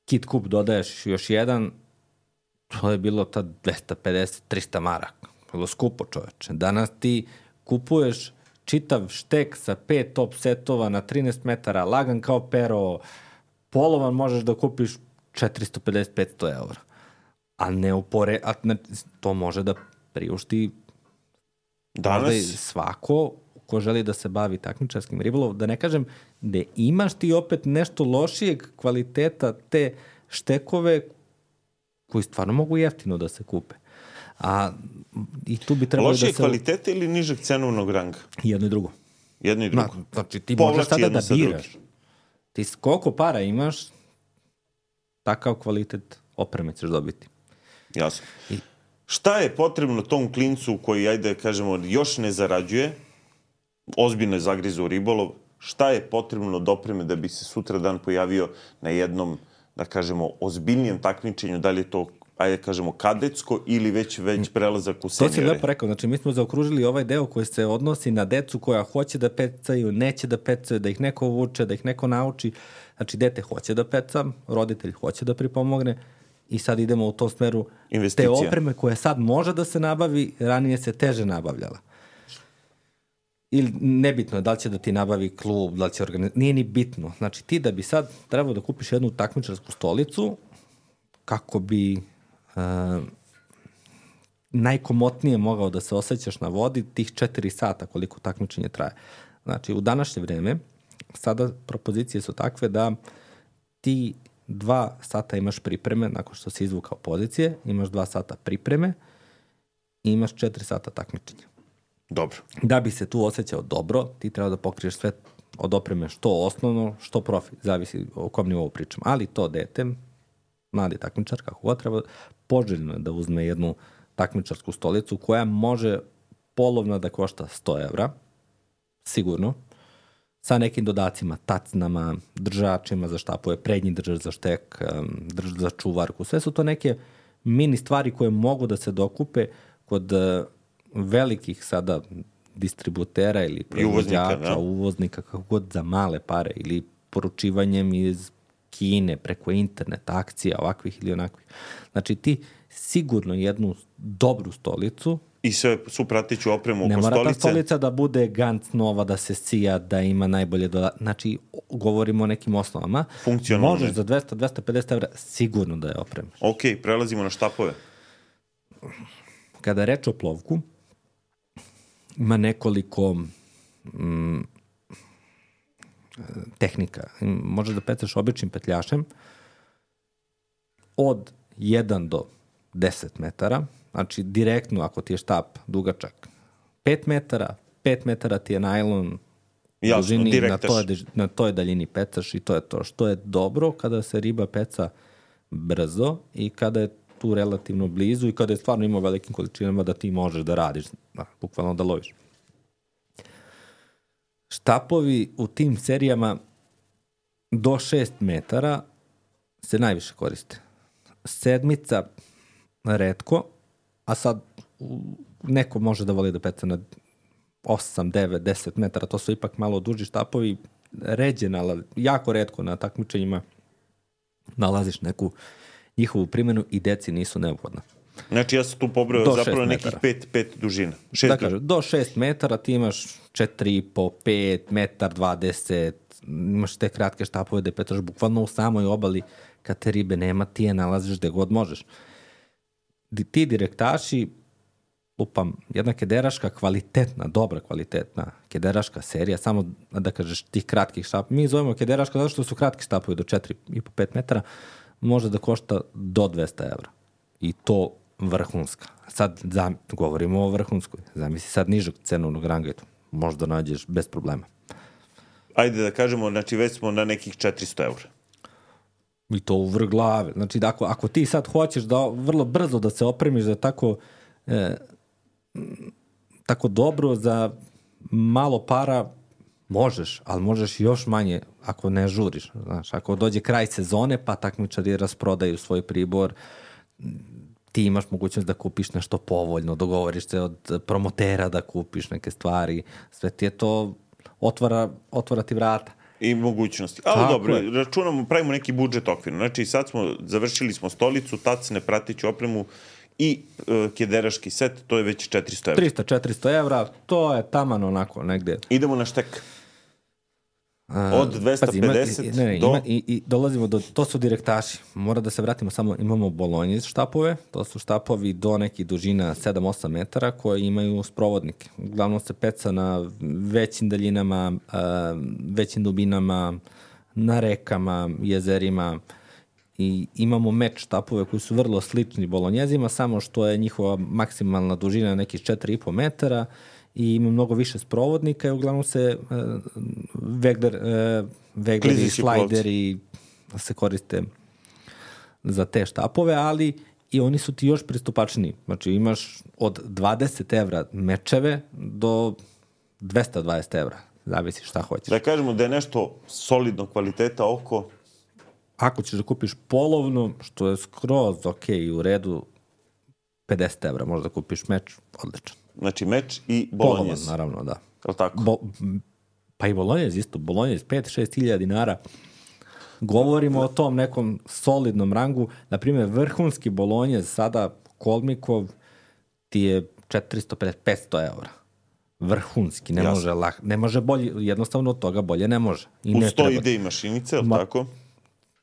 kit kup dodaješ još jedan, to je bilo tad dvesta pedeset do trista maraka. Bilo skupo, čoveče. Danas ti kupuješ čitav štek sa pet top setova na trinaest metara, lagan kao pero, polovan možeš da kupiš četiristo pedeset do petsto evra. A ne upore, a ne, to može da priušti danas svako ko želi da se bavi takmičarskim ribolovom, da ne kažem da imaš ti opet nešto lošijeg kvaliteta te štekove koji stvarno mogu jeftino da se kupe. A i tu bi trebalo da se... Lošije kvalitete ili nižeg cenovnog ranga? Jedno i drugo. Jedno i drugo. Znači, ti možeš sada da biraš. Ti koliko para imaš, takav kvalitet opreme ćeš dobiti. Jasno. I... Šta je potrebno tom klincu koji, ajde kažemo, još ne zarađuje, ozbiljno je zagrizu u ribolov, šta je potrebno do opreme da bi se sutra dan pojavio na jednom, da kažemo, ozbiljnijem takmičenju, da li je to, ajde kažemo, kadetsko ili već, već prelazak u senjore? To si lepo rekao, znači mi smo zaokružili ovaj deo koji se odnosi na decu koja hoće da pecaju, neće da pecaju, da ih neko vuče, da ih neko nauči. Znači, dete hoće da peca, roditelj hoće da pripomogne i sad idemo u tom smeru te opreme koje sad može da se nabavi, ranije se teže nabavljala. Ili nebitno je da li će da ti nabavi klub, da li će organizati, nije ni bitno. Znači, ti da bi sad trebao da kupiš jednu takmičarsku stolicu kako bi uh, najkomotnije mogao da se osjećaš na vodi tih četiri sata koliko takmičenje traje. Znači, u današnje vreme sada propozicije su takve da ti dva sata imaš pripreme nakon što si izvukao pozicije, imaš dva sata pripreme i imaš četiri sata takmičenja. Dobro. Da bi se tu osjećao dobro, ti treba da pokriješ sve od opreme što osnovno, što profi, zavisi o kom nivou pričam. Ali to dete, mladi takmičar, kako god treba, poželjno je da uzme jednu takmičarsku stolicu koja može polovna da košta sto evra, sigurno, sa nekim dodacima, tacnama, držačima za štapove, prednji držač za štek, držač za čuvarku. Sve su to neke mini stvari koje mogu da se dokupe kod velikih sada distributera ili proizvođača, uvoznika, uvoznika, kako god za male pare ili poručivanjem iz Kine preko internet, akcija, ovakvih ili onakvih. Znači ti sigurno jednu dobru stolicu i sve su pratiću opremu oko stolice. Ne mora ta stolica da bude Gantz nova, da se sija, da ima najbolje doda... Znači, govorimo o nekim osnovama. Funkcionalno. Možeš za dvesta do dvesta pedeset evra sigurno da je opremaš. Ok, prelazimo na štapove. Kada je reč o plovku, ima nekoliko mm, tehnika. Možeš da pecaš običnim petljašem od jedan do deset metara. Znači, direktno, ako ti je štap dugačak pet metara, pet metara ti je najlon Jasno, dužini, na toj, na toj daljini pecaš i to je to. Što je dobro kada se riba peca brzo i kada je tu relativno blizu i kada je stvarno ima velikim količinama da ti možeš da radiš, da, bukvalno da loviš. Štapovi u tim serijama do šest metara se najviše koriste. Sedmica retko, a sad neko može da voli da peca na osam, devet, deset metara, to su ipak malo duži štapovi, ređe, nalazi, jako retko na takmičenjima nalaziš neku njihovu primjenu i deci nisu neophodna. Znači ja sam tu pobrao zapravo nekih pet, pet dužina. Šest da kažem, do šest metara ti imaš četiri i po, pet, metar dvadeset, imaš te kratke štapove da petaš bukvalno u samoj obali kad te ribe nema, ti je nalaziš gde god možeš. Ti direktaši, lupam, jedna kederaška kvalitetna, dobra kvalitetna kederaška serija, samo da kažeš tih kratkih štapova. Mi zovemo kederaška zato što su kratki štapovi do četiri i po pet metara, može da košta do dvesta evra. I to vrhunska. Sad zam, govorimo o vrhunskoj. Zamisli sad nižeg cenovnog ranga, možda nađeš bez problema. Ajde da kažemo, znači već smo na nekih četiristo evra. I to u vrh glave. Znači, ako, ako ti sad hoćeš da vrlo brzo da se opremiš za tako e, tako dobro, za malo para, možeš, ali možeš još manje ako ne žuriš. Znaš, ako dođe kraj sezone, pa takmičari rasprodaju svoj pribor, ti imaš mogućnost da kupiš nešto povoljno, dogovoriš se od promotera da kupiš neke stvari, sve ti je to otvara, otvara ti vrata. I mogućnosti. Ali tako dobro, je. Računamo, pravimo neki budžet okvirno. Znači sad smo, završili smo stolicu, tacne, pratiću opremu i uh, kederaški set, to je već četiristo evra. trista do četiristo evra, to je taman onako negde. Idemo na štek. Od dvesta pedeset pazi, ima, ne, ne, do... Ima, i, i dolazimo do, to su direktaši. Mora da se vratimo samo, imamo bolonje štapove, to su štapovi do nekih dužina sedam do osam metara koji imaju sprovodnike. Uglavnom se peca na većim daljinama, većim dubinama, na rekama, jezerima i imamo meč štapove koji su vrlo slični bolonjezima, samo što je njihova maksimalna dužina nekih četiri i po metara i ima mnogo više sprovodnika i uglavnom se uh, vegler, uh, vegleri i slajderi se koriste za te štapove, ali i oni su ti još pristupačniji. Znači imaš od dvadeset evra mečeve do dvesta dvadeset evra. Zavisi šta hoćeš. Da kažemo da je nešto solidno kvaliteta oko... Ako ćeš da kupiš polovno, što je skroz ok i u redu, pedeset evra možda da kupiš meč, odličan. Znači meč i bolonjez. Polovan, naravno, da. Je li tako? Bo, pa i bolonjez isto. Bolonjez pet do šest hiljada dinara. Govorimo o tom nekom solidnom rangu. Naprimjer, vrhunski bolonjez sada Kolmikov ti je četiristo pedeset do petsto evra. Vrhunski, ne može, lah, ne može bolje, jednostavno od toga bolje ne može. I Uz ne to treba. ide i mašinice, je li Ma, tako?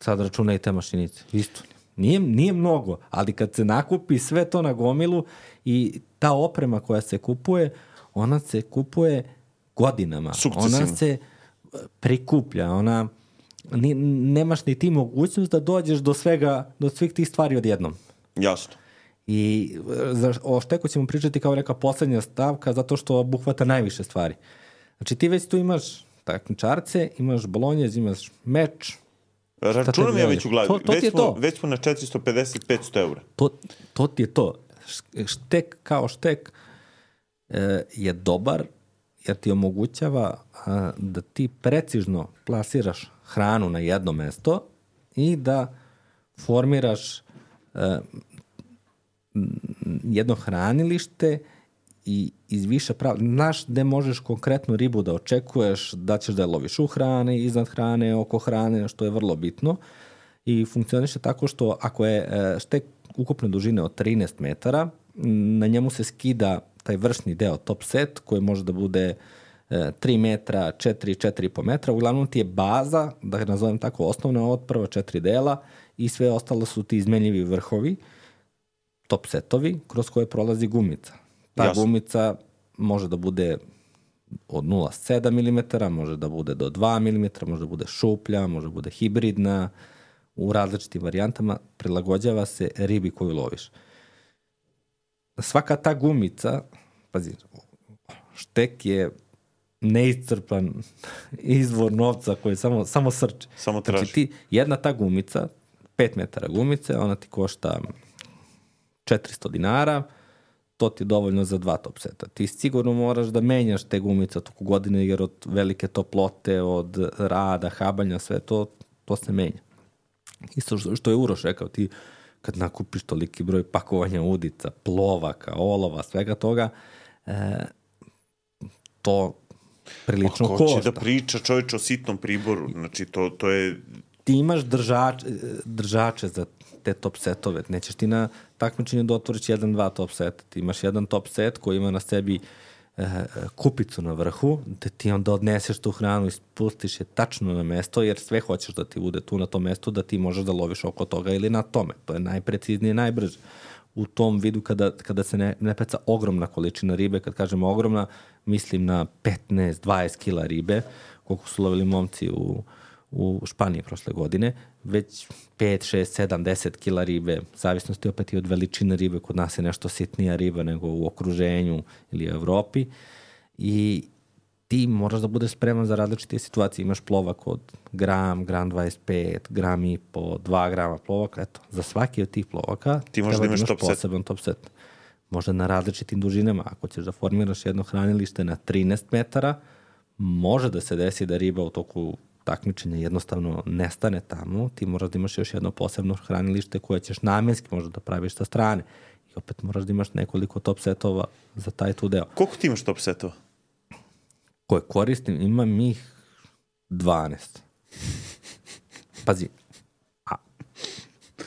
Sad računaj te mašinice, isto. Nije, nije mnogo, ali kad se nakupi sve to na gomilu i ta oprema koja se kupuje, ona se kupuje godinama. Sukcesivno. Ona se prikuplja, ona... Ni, nemaš ni ti mogućnost da dođeš do svega, do svih tih stvari odjednom. Jasno. I za, o šteku ćemo pričati kao neka poslednja stavka zato što obuhvata najviše stvari. Znači ti već tu imaš takmičarce, imaš bolonjez, imaš meč. Računam ja već u glavi. To, to već, smo, smo, već smo na četiristo pedeset do petsto evra. To, to ti je to. Štek kao štek e, je dobar jer ti omogućava a, da ti precizno plasiraš hranu na jedno mesto i da formiraš a, jedno hranilište i iz više prava. Znaš gde možeš konkretnu ribu da očekuješ, da ćeš da je loviš u hrane, iznad hrane, oko hrane, što je vrlo bitno. I funkcioniše tako što ako je štek ukupne dužine od trinaest metara, na njemu se skida taj vršni deo top set koji može da bude tri metra, četiri, četiri i po metra. Uglavnom ti je baza, da nazovem tako, osnovna od prva četiri dela i sve ostalo su ti izmenljivi vrhovi, top setovi, kroz koje prolazi gumica. Ta Jasno. gumica može da bude od nula zarez sedam milimetara, može da bude do dva milimetra, može da bude šuplja, može da bude hibridna, u različitim varijantama, prilagođava se ribi koju loviš. Svaka ta gumica, pazi, štek je neiscrpan izvor novca koji samo, samo srče. Samo traži. Znači ti, jedna ta gumica, pet metara gumice, ona ti košta četiristo dinara, to ti je dovoljno za dva top seta. Ti sigurno moraš da menjaš te gumice toku godine, jer od velike toplote, od rada, habanja, sve to, to se menja. Isto što je Uroš rekao, ti kad nakupiš toliki broj pakovanja udica, plovaka, olova, svega toga, e, to prilično košta. Ko će da priča čovječ o sitnom priboru? Znači, to, to je... Ti imaš držač, držače za te top setove. Nećeš ti na takmičenju da otvoriš jedan, dva top seta. Ti imaš jedan top set koji ima na sebi e, kupicu na vrhu, da ti onda odneseš tu hranu i spustiš je tačno na mesto, jer sve hoćeš da ti bude tu na tom mestu, da ti možeš da loviš oko toga ili na tome. To je najpreciznije i najbrže. U tom vidu kada, kada se ne, ne peca ogromna količina ribe, kad kažemo ogromna, mislim na petnaest do dvadeset kila ribe, koliko su lovili momci u, u Španiji prošle godine, već pet, šest, sedam, deset kila ribe, zavisnosti opet i od veličine ribe, kod nas je nešto sitnija riba nego u okruženju ili u Evropi i ti moraš da budeš spreman za različite situacije. Imaš plovak od gram, gram dvadeset pet, gram i po, dva grama plovaka. Eto, za svaki od tih plovaka ti možeš da imaš top poseban top set. Možda na različitim dužinama. Ako ćeš da formiraš jedno hranilište na trinaest metara, može da se desi da riba u toku takmičenja jednostavno nestane tamo. Ti moraš da imaš još jedno posebno hranilište koje ćeš namenski možda da praviš sa strane. I opet moraš da imaš nekoliko top setova za taj tu deo. Koliko ti imaš top setova? Koje koristim, imam ih dvanaest. Pazi, a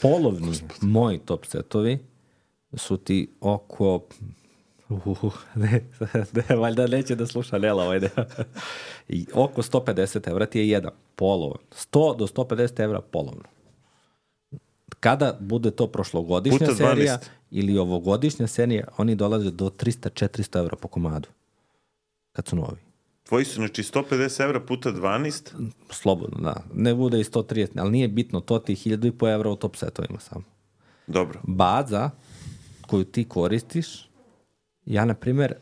polovni Gospod. moji top setovi su ti oko... Uh, ne, ne, valjda neće da sluša Nela ovaj deo. I oko sto pedeset evra ti je jedan polovan. sto do sto pedeset evra polovno. Kada bude to prošlogodišnja Puta serija dvanaest. ili ovogodišnja serija, oni dolaze do trista do četiristo evra po komadu. Kad su novi. Tvoji su, znači, sto pedeset evra puta dvanaest? Slobodno, da. Ne bude i sto trideset, ali nije bitno, to ti je hiljadu i po evra u top setovima samo. Dobro. Baza koju ti koristiš, ja, na primjer,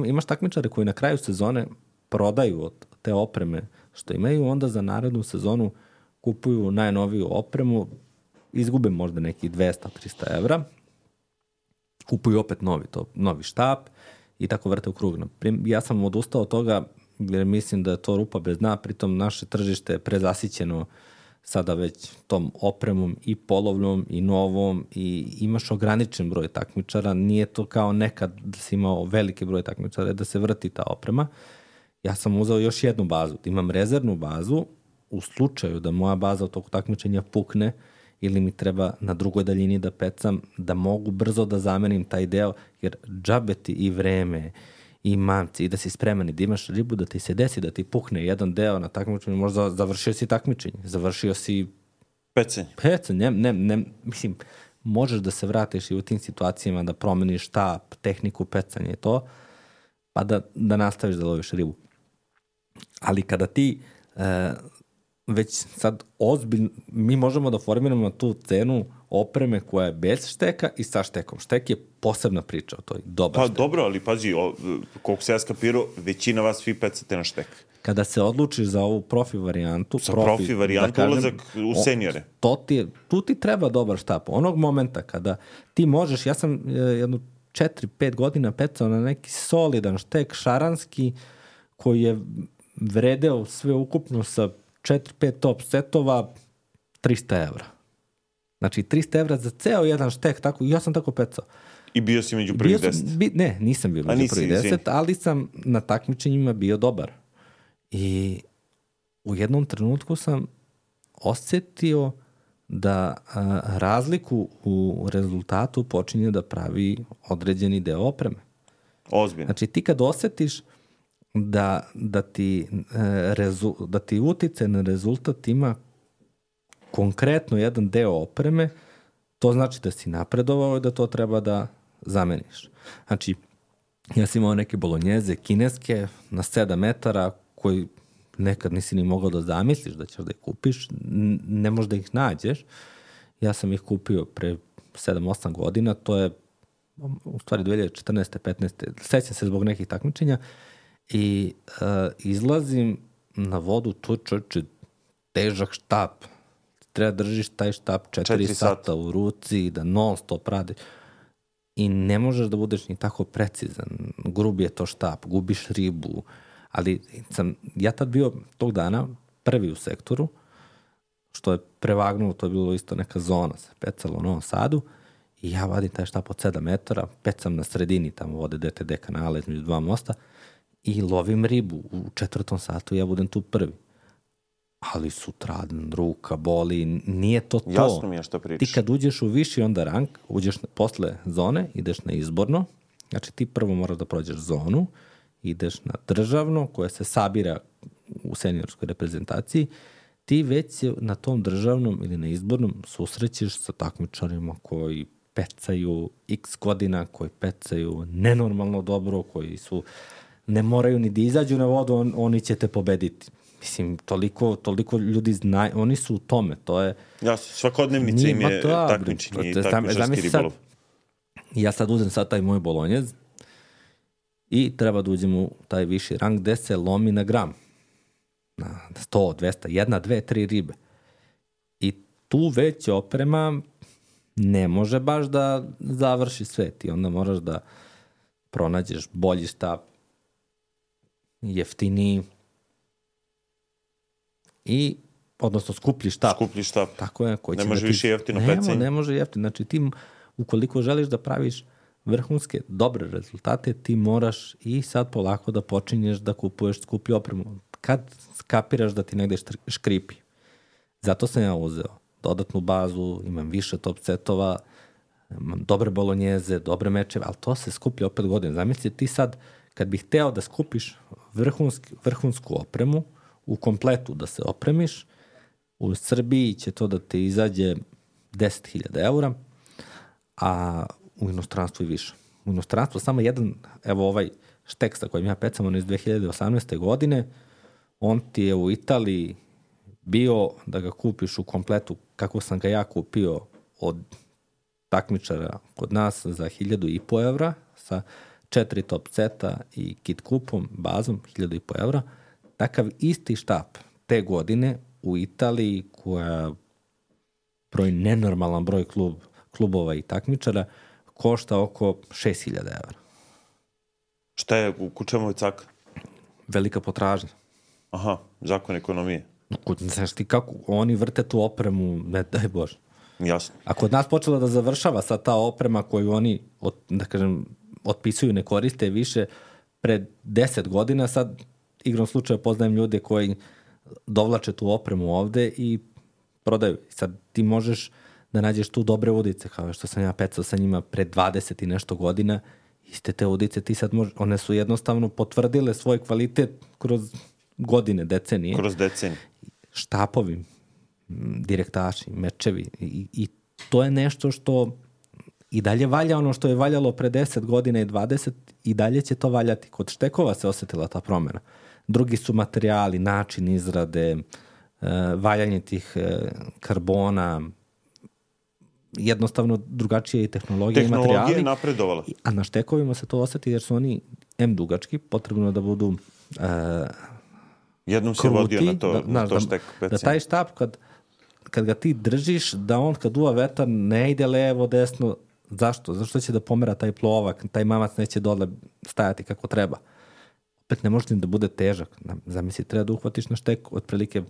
imaš takmičare koji na kraju sezone prodaju od te opreme što imaju, onda za narednu sezonu kupuju najnoviju opremu, izgube možda nekih dvesta do trista evra, kupuju opet novi, to, novi štap i tako vrte u krug. Ja sam odustao od toga jer mislim da je to rupa bez dna, pritom naše tržište je prezasićeno sada već tom opremom i polovnom i novom i imaš ograničen broj takmičara, nije to kao nekad da si imao veliki broj takmičara da se vrti ta oprema. Ja sam uzeo još jednu bazu, imam rezervnu bazu u slučaju da moja baza od tog takmičenja pukne ili mi treba na drugoj daljini da pecam, da mogu brzo da zamenim taj deo, jer džabe ti i vreme i mamci i da si spreman i da imaš ribu, da ti se desi da ti pukne jedan deo na takmičenju, možda završio si takmičenje, završio si pecanje. Pecanje, ne, ne, ne, mislim, možeš da se vratiš i u tim situacijama da promeniš štap, tehniku pecanja i to, pa da, da nastaviš da loviš ribu. Ali kada ti e, već sad ozbiljno, mi možemo da formiramo tu cenu opreme koja je bez šteka i sa štekom. Štek je posebna priča o toj, dobar pa, štek. Pa dobro, ali pazi, o, koliko se ja skapirao, većina vas svi pecate na štek. Kada se odlučiš za ovu profi varijantu, sa profi, profi varijantu, da kažem, ulazak u senjore. To ti, tu ti treba dobar štap. Onog momenta kada ti možeš, ja sam jednu četiri pet godina pecao na neki solidan štek šaranski koji je vredeo sve ukupno sa četiri pet top setova trista evra. Znači trista evra za ceo jedan štek, tako, ja sam tako pecao. I bio si među prvih deset? Bi, ne, nisam bio među prvih deset, ali sam na takmičenjima bio dobar. I u jednom trenutku sam osjetio da a, razliku u rezultatu počinje da pravi određeni deo opreme. Ozbiljno. Znači ti kad osjetiš da, da, ti, e, rezu, da ti utice na rezultat ima konkretno jedan deo opreme, to znači da si napredovao i da to treba da zameniš. Znači, ja sam imao neke bolonjeze kineske na sedam metara koji nekad nisi ni mogao da zamisliš da ćeš da ih kupiš, ne možeš da ih nađeš. Ja sam ih kupio pre sedam osam godina, to je u stvari dve hiljade četrnaeste petnaeste sećam se zbog nekih takmičenja i uh, izlazim na vodu, to čoče težak štap. Treba držiš taj štap četiri sata u ruci, da non stop radi. I ne možeš da budeš ni tako precizan. Grub je to štap, gubiš ribu. Ali sam, ja tad bio tog dana prvi u sektoru, što je prevagnulo, to je bilo isto neka zona, se pecalo u Novom Sadu, i ja vadim taj štap od sedam metara, pecam na sredini, tamo vode D T D kanale između dva mosta, i lovim ribu u četvrtom satu, ja budem tu prvi. Ali sutradan, ruka, boli, nije to to. Jasno mi je što pričaš. Ti kad uđeš u viši onda rank, uđeš na, posle zone, ideš na izborno, znači ti prvo moraš da prođeš zonu, ideš na državno, koje se sabira u seniorskoj reprezentaciji, ti već se na tom državnom ili na izbornom susrećeš sa takmičarima koji pecaju x godina, koji pecaju nenormalno dobro, koji su, ne moraju ni da izađu na vodu, on, oni će te pobediti. Mislim, toliko, toliko ljudi znaju, oni su u tome, to je... Ja, svakodnevnica im je takmičenje i takmičarski ribolov. Ja sad uzem sad taj moj bolonjez i treba da uđem u taj viši rang gde se lomi na gram. Na sto, dvesta, jedna, dve, tri ribe. I tu već oprema ne može baš da završi sve. Ti onda moraš da pronađeš bolji štap, jeftiniji, i, odnosno skuplji štap. Skuplji štap. Tako je. Koji ne može da ti... više jeftino Nemo, pecanje. Ne može jeftino. Znači ti, ukoliko želiš da praviš vrhunske, dobre rezultate, ti moraš i sad polako da počinješ da kupuješ skuplju opremu. Kad skapiraš da ti negde škripi. Zato sam ja uzeo dodatnu bazu, imam više top setova, imam dobre bolonjeze, dobre mečeve, ali to se skuplja opet godina. Zamisli ti sad, kad bih hteo da skupiš vrhunski, vrhunsku opremu, u kompletu da se opremiš, u Srbiji će to da te izađe deset hiljada eura, a u inostranstvu i više. U inostranstvu samo jedan, evo ovaj štek sa kojim ja pecam, on iz dve hiljade osamnaeste. godine, on ti je u Italiji bio da ga kupiš u kompletu kako sam ga ja kupio od takmičara kod nas za hiljadu i po evra sa četiri top seta i kit kupom, bazom, hiljadu i po evra. Takav isti štap te godine u Italiji koja broj nenormalan broj klub, klubova i takmičara košta oko šest hiljada evra. Šta je, u čemu je caka? Velika potražnja. Aha, zakon ekonomije. Znaš ti kako oni vrte tu opremu, ne daj Bože. Jasno. A kod nas počela da završava sad ta oprema koju oni, od, da kažem, otpisuju, ne koriste više pred deset godina, sad igrom slučaja poznajem ljude koji dovlače tu opremu ovde i prodaju. Sad ti možeš da nađeš tu dobre udice, kao što sam ja pecao sa njima pred dvadeset i nešto godina, iste te udice ti sad možeš, one su jednostavno potvrdile svoj kvalitet kroz godine, decenije. Kroz decenije. Štapovi, direktaši, mečevi i, i to je nešto što i dalje valja ono što je valjalo pre deset godina i dvadeset i dalje će to valjati. Kod štekova se osetila ta promjena. Drugi su materijali, način izrade, valjanje tih karbona, jednostavno drugačije i tehnologije i materijali. Tehnologija je napredovala. A na štekovima se to oseti jer su oni em dugački, potrebno da budu uh, jednom si kruti, vodio na to, da, na to da, štek pecanje. Da taj štap kad, kad ga ti držiš, da on kad duva vetar ne ide levo, desno. Zašto? Zašto će da pomera taj plovak, taj mamac neće dole stajati kako treba. Opet ne može ni da bude težak. Zamisli, treba da uhvatiš na štek, otprilike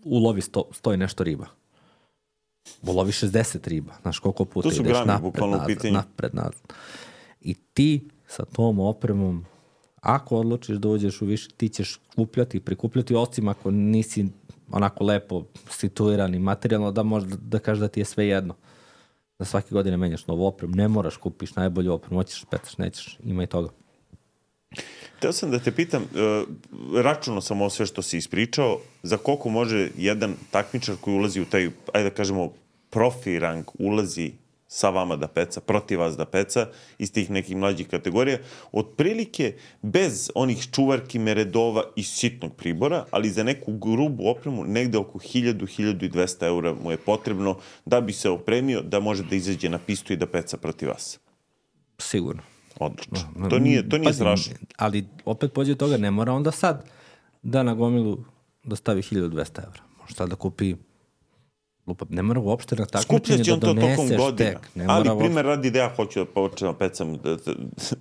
ulovi sto, stoji nešto riba. Ulovi šezdeset riba. Znaš koliko puta ideš grami, napred, nazad, napred, nazad. I ti sa tom opremom, ako odlučiš da uđeš u više, ti ćeš kupljati, prikupljati, osim ako nisi onako lepo situiran i materijalno, da možeš da kažeš da ti je sve jedno. Da svake godine menjaš novu opremu, ne moraš kupiš najbolju opremu, hoćeš petaš, nećeš, ima i toga. Teo sam da te pitam, računao sam ovo sve što si ispričao, za koliko može jedan takmičar koji ulazi u taj, ajde da kažemo, profi rang, ulazi sa vama da peca, protiv vas da peca, iz tih nekih mlađih kategorija, otprilike bez onih čuvarki, meredova i sitnog pribora, ali za neku grubu opremu negde oko hiljadu, hiljadu i dvesta eura mu je potrebno da bi se opremio, da može da izađe na pistu i da peca protiv vas. Sigurno. Odlično. To nije, to nije pa, strašno. Ali opet pođe toga, ne mora onda sad da na gomilu da stavi hiljadu dvesta evra. Može sad da kupi, ne mora uopšte na takmičenje da donese štek. Ne ali mora primer radi da ja hoću da počnem pecam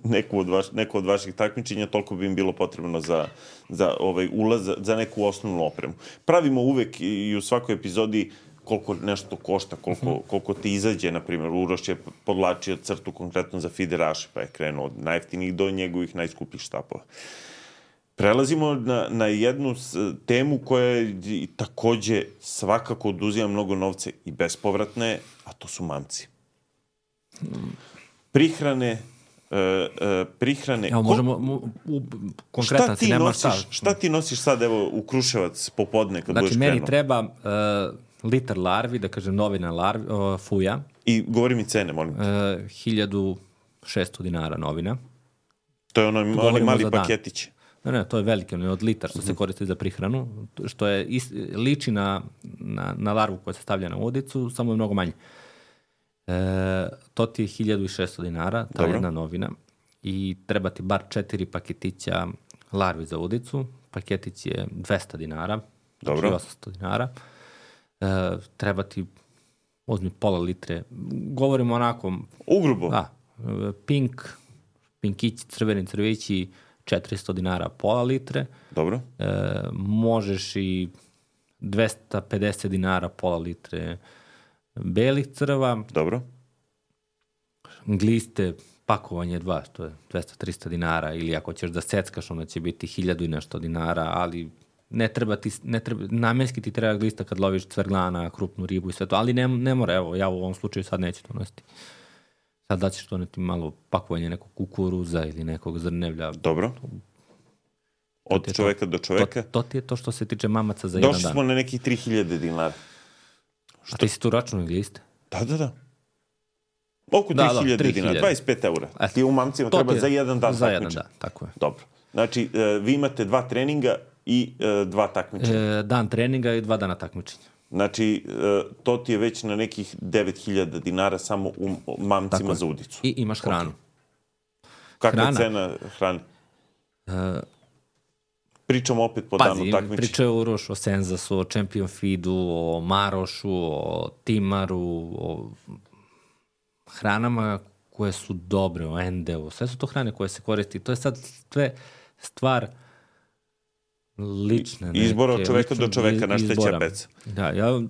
neku od, vaš, neku od vaših takmičenja, toliko bi im bilo potrebno za, za ovaj ulaz, za neku osnovnu opremu. Pravimo uvek i u svakoj epizodi koliko nešto košta, koliko, koliko ti izađe, na primjer, Uroš je podlačio crtu konkretno za fideraše, pa je krenuo od najjeftinijih do njegovih najskupih štapova. Prelazimo na, na jednu temu koja je takođe svakako oduzima mnogo novca i bespovratne, a to su mamci. Prihrane, uh, uh, prihrane... Evo, možemo, u, u, konkretan si, nema šta. Šta ti nosiš sad, evo, u Kruševac popodne kad znači, budeš krenuo? Znači, meni treba... Uh, litar larvi, da kažem novina larvi, o, fuja. I govori mi cene, molim. E, hiljadu šesto dinara novina. To je ono, oni mali paketići. Ne, ne, to je veliki, ono je od litar što mm-hmm. se koristi za prihranu, što je is, liči na, na, na larvu koja se stavlja na udicu, samo je mnogo manje. E, to ti je hiljadu šesto dinara, ta Dobro. jedna novina. I treba ti bar četiri paketića larvi za udicu. Paketić je dvesta dinara, Dobro. Znači osamsto dinara. Uh, treba ti uzmi pola litre. Govorimo onako... Ugrubo? Da. Pink, pinkići, crveni crvići, četiristo dinara pola litre. Dobro. Uh, možeš i dvesta pedeset dinara pola litre belih crva. Dobro. Gliste, pakovanje dva, to je dvesta trista dinara, ili ako ćeš da seckaš, onda će biti hiljadu i nešto dinara, ali... Ne treba ti, ne treba, namenski ti treba glista kad loviš cverglana, krupnu ribu i sve to, ali ne, ne mora, evo, ja u ovom slučaju sad neću to nositi. Sad da ćeš to neti malo pakovanje nekog kukuruza ili nekog zrnevlja. Dobro. Od čoveka to, do čoveka. To, to ti je to što se tiče mamaca za jedan dan. Došli smo na nekih tri hiljade dinara. Što? A ti si tu računao gliste? Da, da, da. Oko Da, tri hiljade da, dinara, dvadeset pet eura. E, Ti u mamcima to treba ti je za jedan dan za takmičenja. jedan dan, tako je. Dobro. Znači, e, vi imate dva treninga i e, dva takmičenja. E, dan treninga i dva dana takmičenja. Znači, e, to ti je već na nekih devet hiljada dinara samo u mamcima za udicu. I imaš hranu. Okay. Kakva Hrana. je cena hrane? E, Pričamo opet po Pazi, danu takmičenja. pričaju o Uroš, o Senzasu, o Champion Feedu, o Marošu, o Timaru, o hranama koje su dobre, o Endeu. Sve su to hrane koje se koristi. To je sad sve stvar lične. Neke, izbora od čoveka lične, do čoveka, na šta će izbora. peca. Da, ja,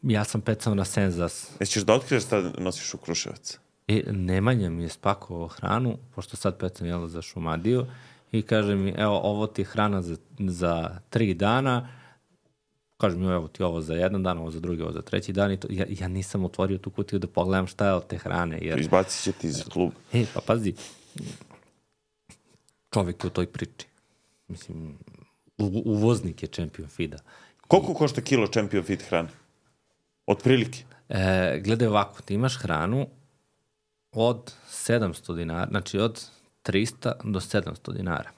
ja sam pecao na Senzas. Jesi ćeš da otkriješ šta nosiš u Kruševac? I Nemanja mi je spakovao hranu, pošto sad pecam jelo za Šumadiju, i kaže mi, evo, ovo ti je hrana za, za tri dana, kaže mi, evo ti ovo za jedan dan, ovo za drugi, ovo za treći dan, i to, ja, ja nisam otvorio tu kutiju da pogledam šta je od te hrane. Jer... Izbacit će ti iz kluba. E, pa pazi, čovjek je u toj priči. Mislim, u, uvoznik je Champion Feeda. Koliko košta kilo Champion Feed hrane? Otprilike? E, gledaj ovako, ti imaš hranu od sedamsto dinara, znači od trista do sedamsto dinara.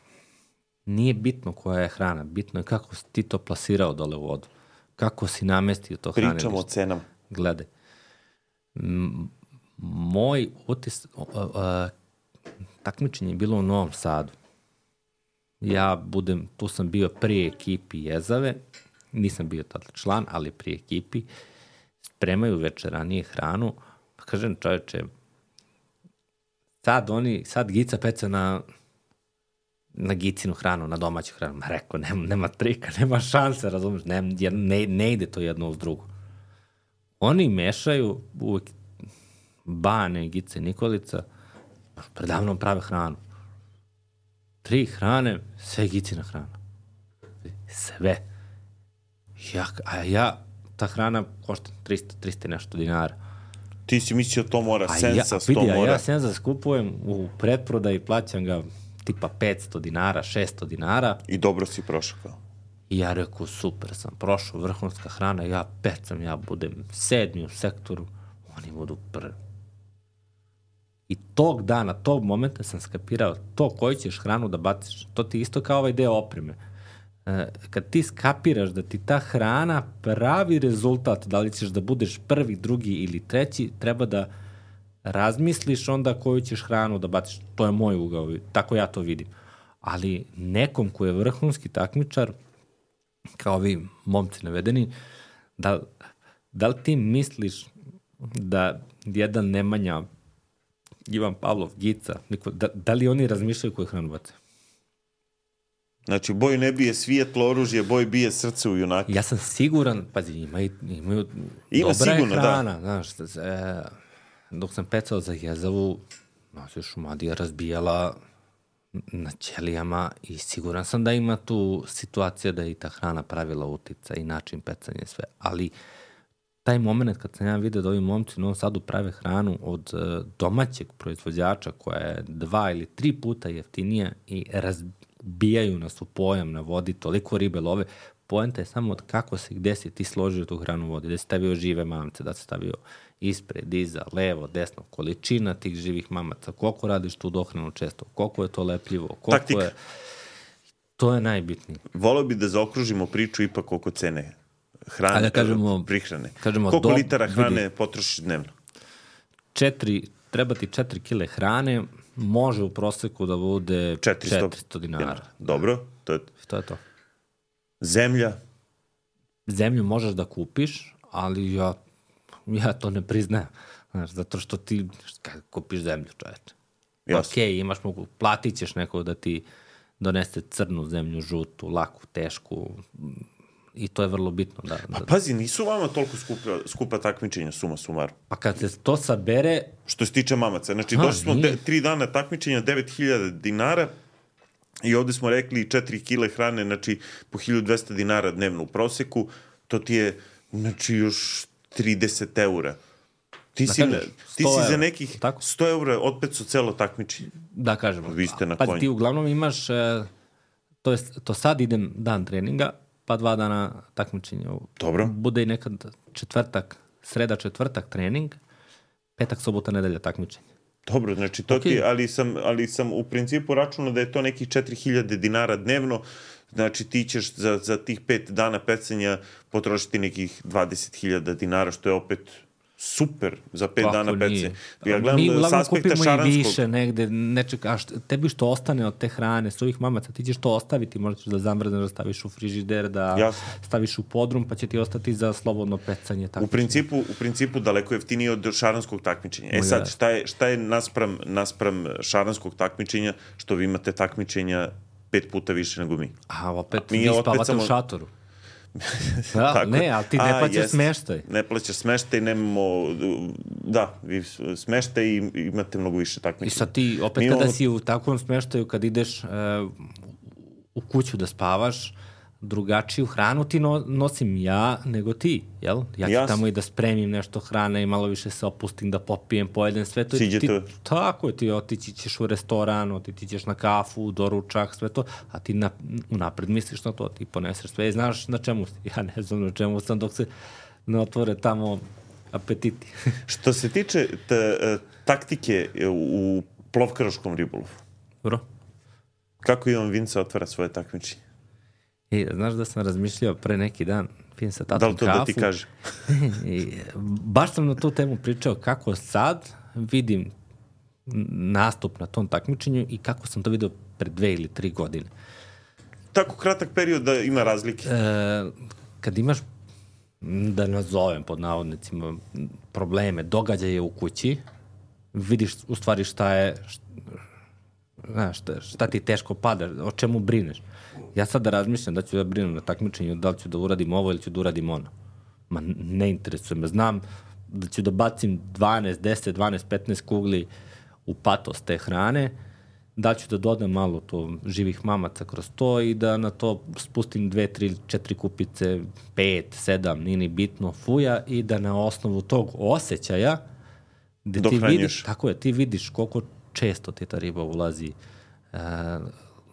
Nije bitno koja je hrana, bitno je kako si ti to plasirao dole u vodu. Kako si namestio to hrane. Pričamo o cenama. Gledaj. M- moj utis, o, o, o, takmičenje je bilo u Novom Sadu. Ja budem, tu sam bio pri ekipi Jezave, nisam bio tada član, ali pri ekipi, spremaju večeranije hranu, pa kažem čoveče, sad oni, sad Gica peca na, na Gicinu hranu, na domaću hranu. Ma rekao, nema, nema trika, nema šanse, razumiješ, ne, ne, ne ide to jedno uz drugo. Oni mešaju uvek Bane, Gice, Nikolica, predavno prave hranu. Tri hrane, sve Gicina hrana. Sve. Ja, a ja, ta hrana košta trista, trista nešto dinara. Ti si mislio to mora, A Sensas ja, to vidi, mora. A ja Sensas kupujem u pretprodaji, plaćam ga tipa petsto dinara, šesto dinara. I dobro si prošao kao. I ja rekao, super sam prošao, vrhunska hrana, ja pecam, ja budem sedmi u sektoru, oni budu prvi. I tog dana, tog momenta sam skapirao to koju ćeš hranu da baciš. To ti isto kao ovaj deo opreme. E, kad ti skapiraš da ti ta hrana pravi rezultat, da li ćeš da budeš prvi, drugi ili treći, treba da razmisliš onda koju ćeš hranu da baciš. To je moj ugao, tako ja to vidim. Ali nekom ko je vrhunski takmičar, kao vi momci navedeni, da, da li ti misliš da jedan Nemanja, Ivan Pavlov, Gica, niko, da, da li oni razmišljaju koju hranu bace? Znači, boj ne bije svijetlo oružje, boj bije srce u junaku. Ja sam siguran, pazi, imaju, imaju Ima dobra sigurno, je hrana, da. znaš, e, dok sam pecao za Jezavu, nas je Šumadija razbijala na ćelijama i siguran sam da ima tu situacija da je i ta hrana pravila utica i način pecanja i sve, ali taj moment kad sam ja vidio da ovi momci u Novom Sadu prave hranu od uh, domaćeg proizvođača koja je dva ili tri puta jeftinija i razbijaju nas u pojam na vodi, toliko ribe love, poenta je samo od kako se, gde si ti složio tu hranu u vodi, da si stavio žive mamce, da si stavio ispred, iza, levo, desno, količina tih živih mamaca, koliko radiš tu dohranu često, koliko je to lepljivo, koliko Taktika. je... To je najbitnije. Voleo bi da zaokružimo priču ipak oko cene hrane, da kažemo, prihrane. kažemo Koliko do, litara hrane vidi, potrošiš dnevno? Četiri, treba ti četiri kile hrane, može u proseku da bude četiristo, četiristo dinara. dinara. Dobro, to je... To je to. Zemlja? Zemlju možeš da kupiš, ali ja, ja to ne priznajem. Znaš, zato što ti kad kupiš zemlju, čoveče. Jasno. Ok, imaš mogu, platit ćeš nekog da ti donese crnu zemlju, žutu, laku, tešku, i to je vrlo bitno. Da, Pa da, pazi, nisu vama toliko skupa, skupa takmičenja, suma sumaru. pa kad se to sabere... Što se tiče mamaca. Znači, A, došli smo nije. te, tri dana takmičenja, devet hiljada dinara i ovde smo rekli četiri kile hrane, znači po hiljadu dvesta dinara dnevno u proseku, to ti je, znači, još trideset eura. Ti, Da si, kažeš, ti sto si za evra, nekih tako? sto eura otpet su celo takmičenje. Da kažemo. Vi ste na Pazi, konju. ti uglavnom imaš, e, to, je, to sad idem dan treninga, pa dva dana takmičenja. Dobro. Bude i nekad četvrtak, sreda četvrtak trening, Petak, subota, nedelja takmičenje. Dobro, znači to okay. ti, ali sam, ali sam u principu računao da je to nekih četiri hiljade dinara dnevno, znači ti ćeš za, za tih pet dana pecanja potrošiti nekih dvadeset hiljada dinara, što je opet super za pet Kako dana pecanja. Ja gledam mi uglavnom kupimo šaranskog... i više negde, nečeg, a što, tebi što ostane od te hrane, s ovih mamaca, ti ćeš to ostaviti, možda ćeš da zamrzneš, da staviš u frižider, da Jasne. staviš u podrum, pa će ti ostati za slobodno pecanje. U principu, u principu daleko jeftinije od šaranskog takmičenja. E sad, šta je, šta je naspram, naspram šaranskog takmičenja, što vi imate takmičenja pet puta više nego mi? A opet mi vi spavate samo... u šatoru. Da, tako, ne, ali ti ne a, plaćaš jest, smeštaj. Ne plaćaš smeštaj, nemamo, da, vi smeštaj i imate mnogo više takmičenja. I sad ti, opet Mi kada ovo... si u takvom smeštaju, kad ideš uh, u kuću da spavaš, drugačiju hranu ti no, nosim ja nego ti, jel? Ja ću Jasne. tamo i da spremim nešto hrane i malo više se opustim, da popijem, pojedem sve to. Siđe ti, to. Tako je, ti otići ćeš u restoran, otići ćeš na kafu, doručak, sve to, a ti na, unapred misliš na to, ti poneseš sve i znaš na čemu si. Ja ne znam na čemu sam dok se ne otvore tamo apetiti. Što se tiče t, taktike u plovkaroškom ribolovu, Bro. Kako Ivan Vinca otvara svoje takmičenje? I, znaš da sam razmišljao pre neki dan, pijem sa tatom kafu. Da li to kafu, da ti kaže? I, baš sam na tu temu pričao kako sad vidim nastup na tom takmičenju i kako sam to vidio pre dve ili tri godine. Tako kratak period da ima razlike? E, kad imaš, da nazovem pod navodnicima, probleme, događaje u kući, vidiš u stvari šta je, šta, šta, šta ti teško pada, o čemu brineš. Ja sad da razmišljam da ću da brinem na takmičenju, da li ću da uradim ovo ili ću da uradim ono. Ma ne interesuje me. Znam da ću da bacim dvanaest, deset, dvanaest, petnaest kugli u patos te hrane, da ću da dodam malo to živih mamaca kroz to i da na to spustim dve, tri, četiri kupice, pet, sedam, nije ni bitno, fuja i da na osnovu tog osjećaja gde ti vidiš, tako je, ti vidiš koliko često ti ta riba ulazi, uh,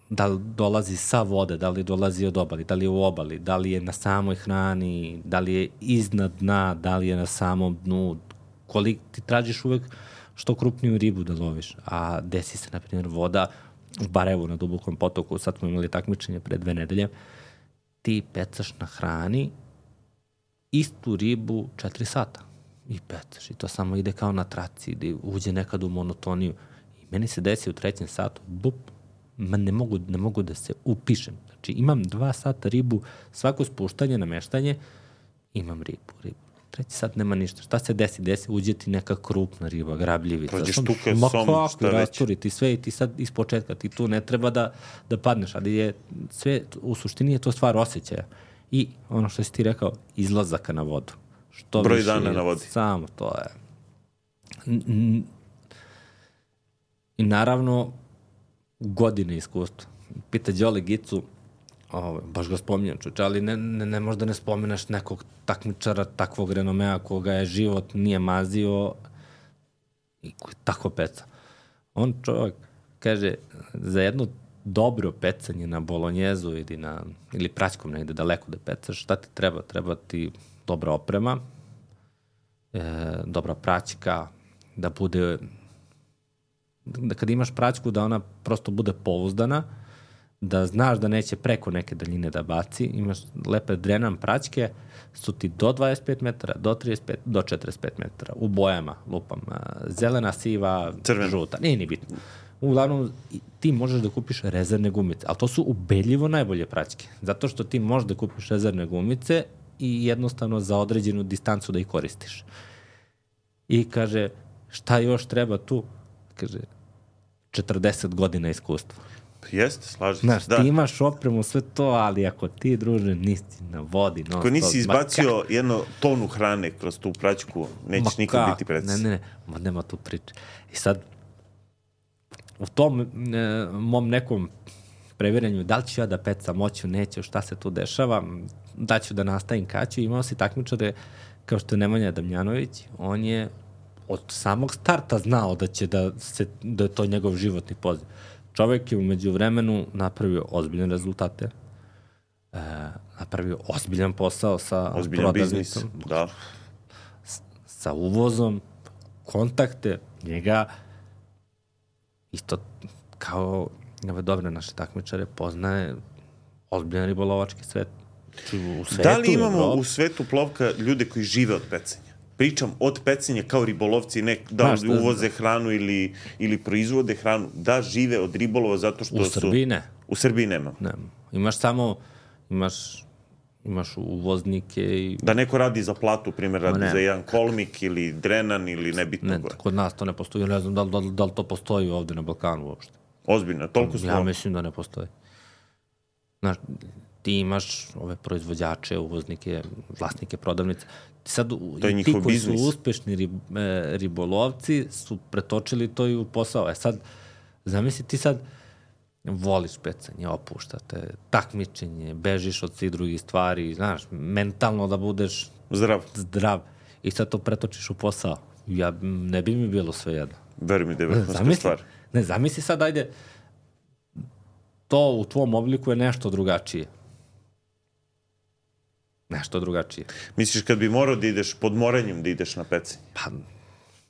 da li dolazi sa vode, da li dolazi od obali, da li je u obali, da li je na samoj hrani, da li je iznad dna, da li je na samom dnu, koliko ti tražiš uvek što krupniju ribu da loviš, a desi se, na primjer, voda u Barajevu na dubokom potoku, sad smo imali takmičenje pre dve nedelje, ti pecaš na hrani istu ribu četiri sata i pecaš i to samo ide kao na traci, ide, uđe nekad u monotoniju i meni se desi u trećem satu, bup, ma ne mogu, ne mogu da se upišem. Znači imam dva sata ribu, svako spuštanje, nameštanje, imam ribu, ribu. Treći sat nema ništa. Šta se desi? Desi, uđe ti neka krupna riba, grabljivica. Prođe štuke, som, šta već. Rasturi ti sve i ti sad iz početka, ti tu ne treba da, da padneš, ali je sve, u suštini je to stvar osjećaja. I ono što si ti rekao, izlazaka na vodu. Što broj više, dana na vodi. Samo to je. I naravno, godine iskustva. Pita Đole Gicu, ovo, baš ga spominjam čuče, ali ne, ne, ne možda ne spomeneš nekog takmičara takvog renomea koga je život nije mazio i koji tako peca. On čovjek kaže, za jedno dobro pecanje na bolonjezu ili, na, ili praćkom negde daleko da pecaš, šta ti treba? Treba ti dobra oprema, e, dobra praćka, da bude, da kad imaš praćku da ona prosto bude pouzdana, da znaš da neće preko neke daljine da baci, imaš lepe drenan praćke, su ti do dvadeset pet metara, do trideset pet, do četrdeset pet metara, u bojama, lupam, zelena, siva, crvena, žuta, nije ni bitno. Uglavnom, ti možeš da kupiš rezervne gumice, ali to su ubedljivo najbolje praćke, zato što ti možeš da kupiš rezervne gumice i jednostavno za određenu distancu da ih koristiš. I kaže, šta još treba tu? Kaže, četrdeset godina iskustva. Jeste, slažem se. Znaš, da. Ti imaš opremu, sve to, ali ako ti, druže, nisi na vodi... Ako nisi izbacio jednu tonu hrane kroz tu praćku, nećeš nikad biti predsjednik. Ne, ne, ne, ma nema tu priče. I sad, u tom e, mom nekom previranju, da li ću ja da pecam, moću, neću, šta se tu dešava, da ću da nastavim kaću, imao si takmičare kao što je Nemanja Damjanović, on je od samog starta znao da će da, se, da je to njegov životni poziv. Čovjek je umeđu vremenu napravio ozbiljne rezultate, e, napravio ozbiljan posao sa ozbiljan biznis, da. S, sa uvozom, kontakte, njega isto kao ove dobre naše takmičare poznaje ozbiljan ribolovački svet. U svetu, da li imamo Evropi. u svetu plovka ljude koji žive od pecanja? Pričam od pecanja kao ribolovci, ne da li uvoze hranu ili, ili proizvode hranu, da žive od ribolova zato što u su... U Srbiji ne. U Srbiji nema. Ne. Imaš samo, imaš, imaš uvoznike i... Da neko radi za platu, primjer, radi ne. za jedan kolmik ili drenan ili nebitno Ne, gore. kod nas to ne postoji. Ne znam da li, da, li, da li to postoji ovde na Balkanu uopšte. Ozbiljno, toliko smo... Ja mislim da ne postoji. Znaš, ti imaš ove proizvođače, uvoznike, vlasnike prodavnice. Sad, to je i njihov ti koji biznis. su uspešni rib, e, ribolovci su pretočili to i u posao. E sad, zamisli ti sad voliš pecanje, opuštate, takmičenje, bežiš od svih drugih stvari, znaš, mentalno da budeš Zdrav. zdrav i sad to pretočiš u posao. Ja, ne bi mi bilo sve jedno. Veruj mi da je vrhunska stvar. Ne, zamisli sad, ajde, to u tvom obliku je nešto drugačije. Nešto drugačije. Misliš kad bi morao da ideš pod moranjem da ideš na pecanje? Pa,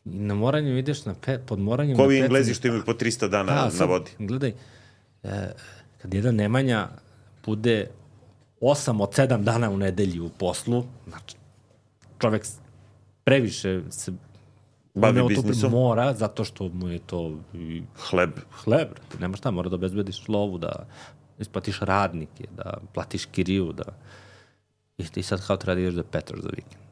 na moranju ideš na pe, pod moranjem Ko na vi pecanje. Englezi što imaju po trista dana Da, na sad, vodi? Gledaj, e, kad jedan Nemanja bude osam od sedam dana u nedelji u poslu, znači, čovek previše se bavi biznisom. biznisom. Mora, zato što mu je to i Hleb. hleb. Ti nema šta, mora da obezbediš lovu, da isplatiš radnike, da platiš kiriju, da... I ti sad kao treba da ideš da petaš za vikend.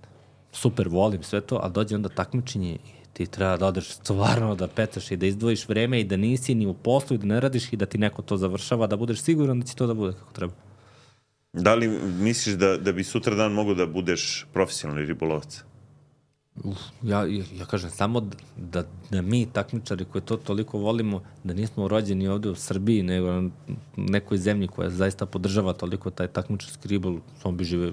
Super, volim sve to, ali dođe onda takmičenje i ti treba da odeš stvarno da petaš i da izdvojiš vreme i da nisi ni u poslu i da ne radiš i da ti neko to završava, da budeš siguran da će to da bude kako treba. Da li misliš da, da bi sutra dan mogo da budeš profesionalni ribolovac? Uf, ja, ja, ja kažem samo da, da, da mi takmičari koji to toliko volimo, da nismo rođeni ovde u Srbiji, nego na nekoj zemlji koja zaista podržava toliko taj takmičarski ribol, on bi žive...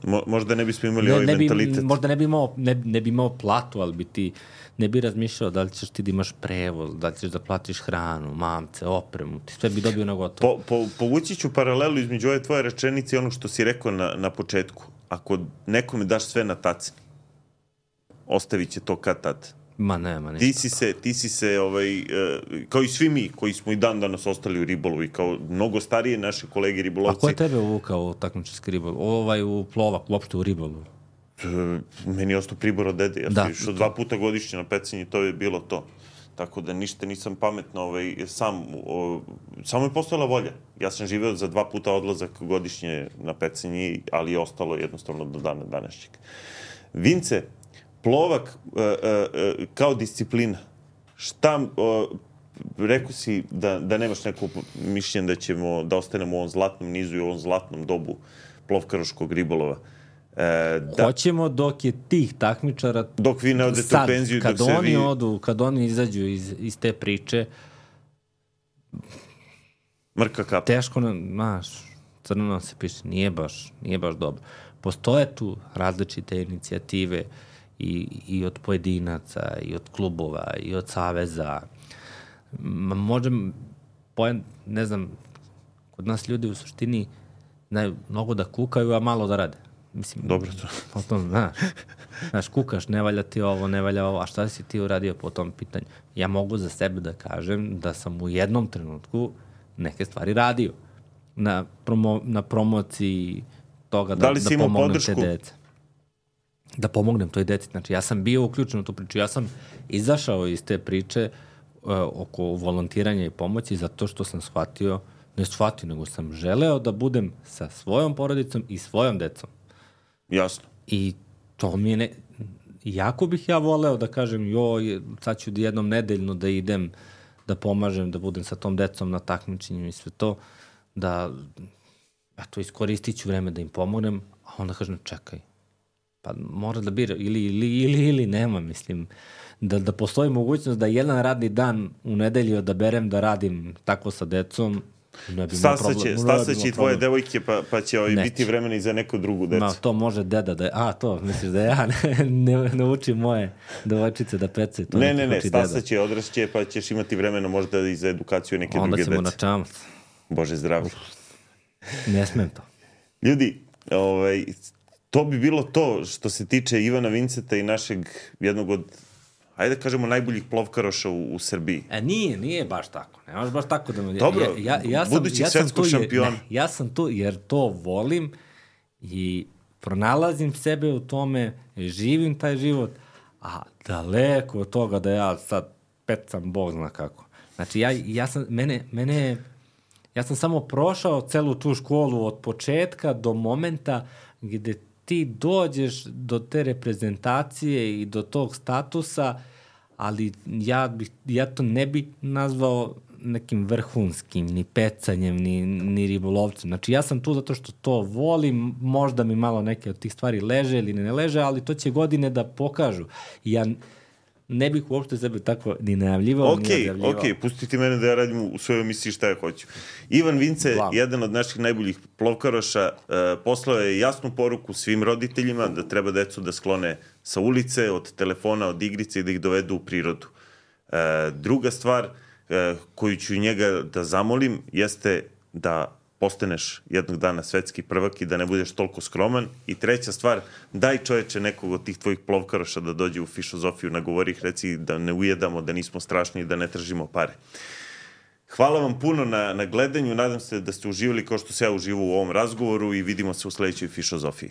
Mo, možda ne bismo imali ne, ovaj ne bi, mentalitet. Možda ne bi, imao, ne, ne bi imao platu, ali bi ti ne bi razmišljao da li ćeš ti da imaš prevoz, da li ćeš da platiš hranu, mamce, opremu, ti sve bi dobio na gotovo. Po, po, povući ću paralelu između ove tvoje rečenice i onog što si rekao na, na početku. Ako nekome daš sve na tacni, ostavit će to kad tad. Ma nema ništa. Ti si se, ti si se ovaj, uh, kao i svi mi koji smo i dan danas ostali u ribolovu i kao mnogo starije naše kolege ribolovci. A ko je tebe uvukao u takmičarski ribol? Ovaj u plovak, uopšte u ribolu? Uh, meni je ostao pribor od dede. Ja Da. sam išao dva puta godišnje na pecanje i to je bilo to. Tako da ništa nisam pametno ovaj, sam. O, samo je postojala volja. Ja sam živeo za dva puta odlazak godišnje na pecanje, ali je ostalo jednostavno do dana današnjeg. Vince, plovak uh, uh, uh, kao disciplina. Šta, uh, rekao si da, da nemaš neko mišljenje da ćemo, da ostanemo u ovom zlatnom nizu i u ovom zlatnom dobu plovkaroškog ribolova. E, da, Hoćemo dok je tih takmičara dok vi ne odete sad, u penziju, kad dok se oni vi... odu, kad oni izađu iz, iz te priče, Mrka kapa. teško nam, znaš, crno nam se piše, nije baš, nije baš dobro. Postoje tu različite inicijative i, i od pojedinaca, i od klubova, i od saveza. Ma, možem, pojem, ne znam, kod nas ljudi u suštini znaju mnogo da kukaju, a malo da rade. Mislim, Dobro to. Po tom, znaš, znaš, kukaš, ne valja ti ovo, ne valja ovo, a šta si ti uradio po tom pitanju? Ja mogu za sebe da kažem da sam u jednom trenutku neke stvari radio na, promo, na promociji toga da, Da li si da imao pomognem podršku? te dece. Da pomognem toj deci. Znači, ja sam bio uključen u tu priču. Ja sam izašao iz te priče uh, oko volontiranja i pomoći zato što sam shvatio, ne shvatio, nego sam želeo da budem sa svojom porodicom i svojom decom. Jasno. I to mi je ne... Jako bih ja voleo da kažem, joj, sad ću jednom nedeljno da idem, da pomažem, da budem sa tom decom na takmičenju i sve to, da, eto, iskoristit ću vreme da im pomognem, a onda kažem, čekaj, pa mora da bira, ili, ili, ili, ili nema, mislim, da, da postoji mogućnost da jedan radni dan u nedelji odaberem da radim tako sa decom, ne bi imao problem. Stasaće, stasaće i tvoje devojke, pa, pa će ovaj biti vremena i za neku drugu decu. Ma, to može deda da je, a to, misliš da ja ne, ne, ne učim moje devojčice da pecaju. To ne, ne, ne, stasaće, odrašće, pa ćeš imati vremena možda i za edukaciju neke onda druge dece. Onda ćemo na čamac. Bože zdravlje. Ne smem to. Ljudi, ovaj, to bi bilo to što se tiče Ivana Vinceta i našeg jednog od, ajde da kažemo, najboljih plovkaroša u, u Srbiji. E, nije, nije baš tako. Ne možeš baš tako da me... Dobro, ja, ja, ja sam, budući ja sam svetskog tu jer, šampiona. Ne, ja sam tu jer to volim i pronalazim sebe u tome, živim taj život, a daleko od toga da ja sad pecam, Bog zna kako. Znači, ja, ja sam, mene, mene, ja sam samo prošao celu tu školu od početka do momenta gde ti dođeš do te reprezentacije i do tog statusa, ali ja, bih, ja to ne bi nazvao nekim vrhunskim, ni pecanjem, ni, ni ribolovcem. Znači, ja sam tu zato što to volim, možda mi malo neke od tih stvari leže ili ne leže, ali to će godine da pokažu. I ja ne bih uopšte sebe tako ni najavljivao, okay, ni najavljivao. Ok, pustiti mene da ja radim u svojoj emisiji šta ja hoću. Ivan Vince, Glav. jedan od naših najboljih plovkaroša, uh, poslao je jasnu poruku svim roditeljima da treba decu da sklone sa ulice, od telefona, od igrice i da ih dovedu u prirodu. Uh, druga stvar uh, koju ću njega da zamolim jeste da postaneš jednog dana svetski prvak i da ne budeš toliko skroman. I treća stvar, daj čoveče nekog od tih tvojih plovkaroša da dođe u Fišozofiju, nagovori ih, reci da ne ujedamo, da nismo strašni i da ne tržimo pare. Hvala vam puno na, na gledanju, nadam se da ste uživali kao što se ja uživao u ovom razgovoru i vidimo se u sledećoj Fišozofiji.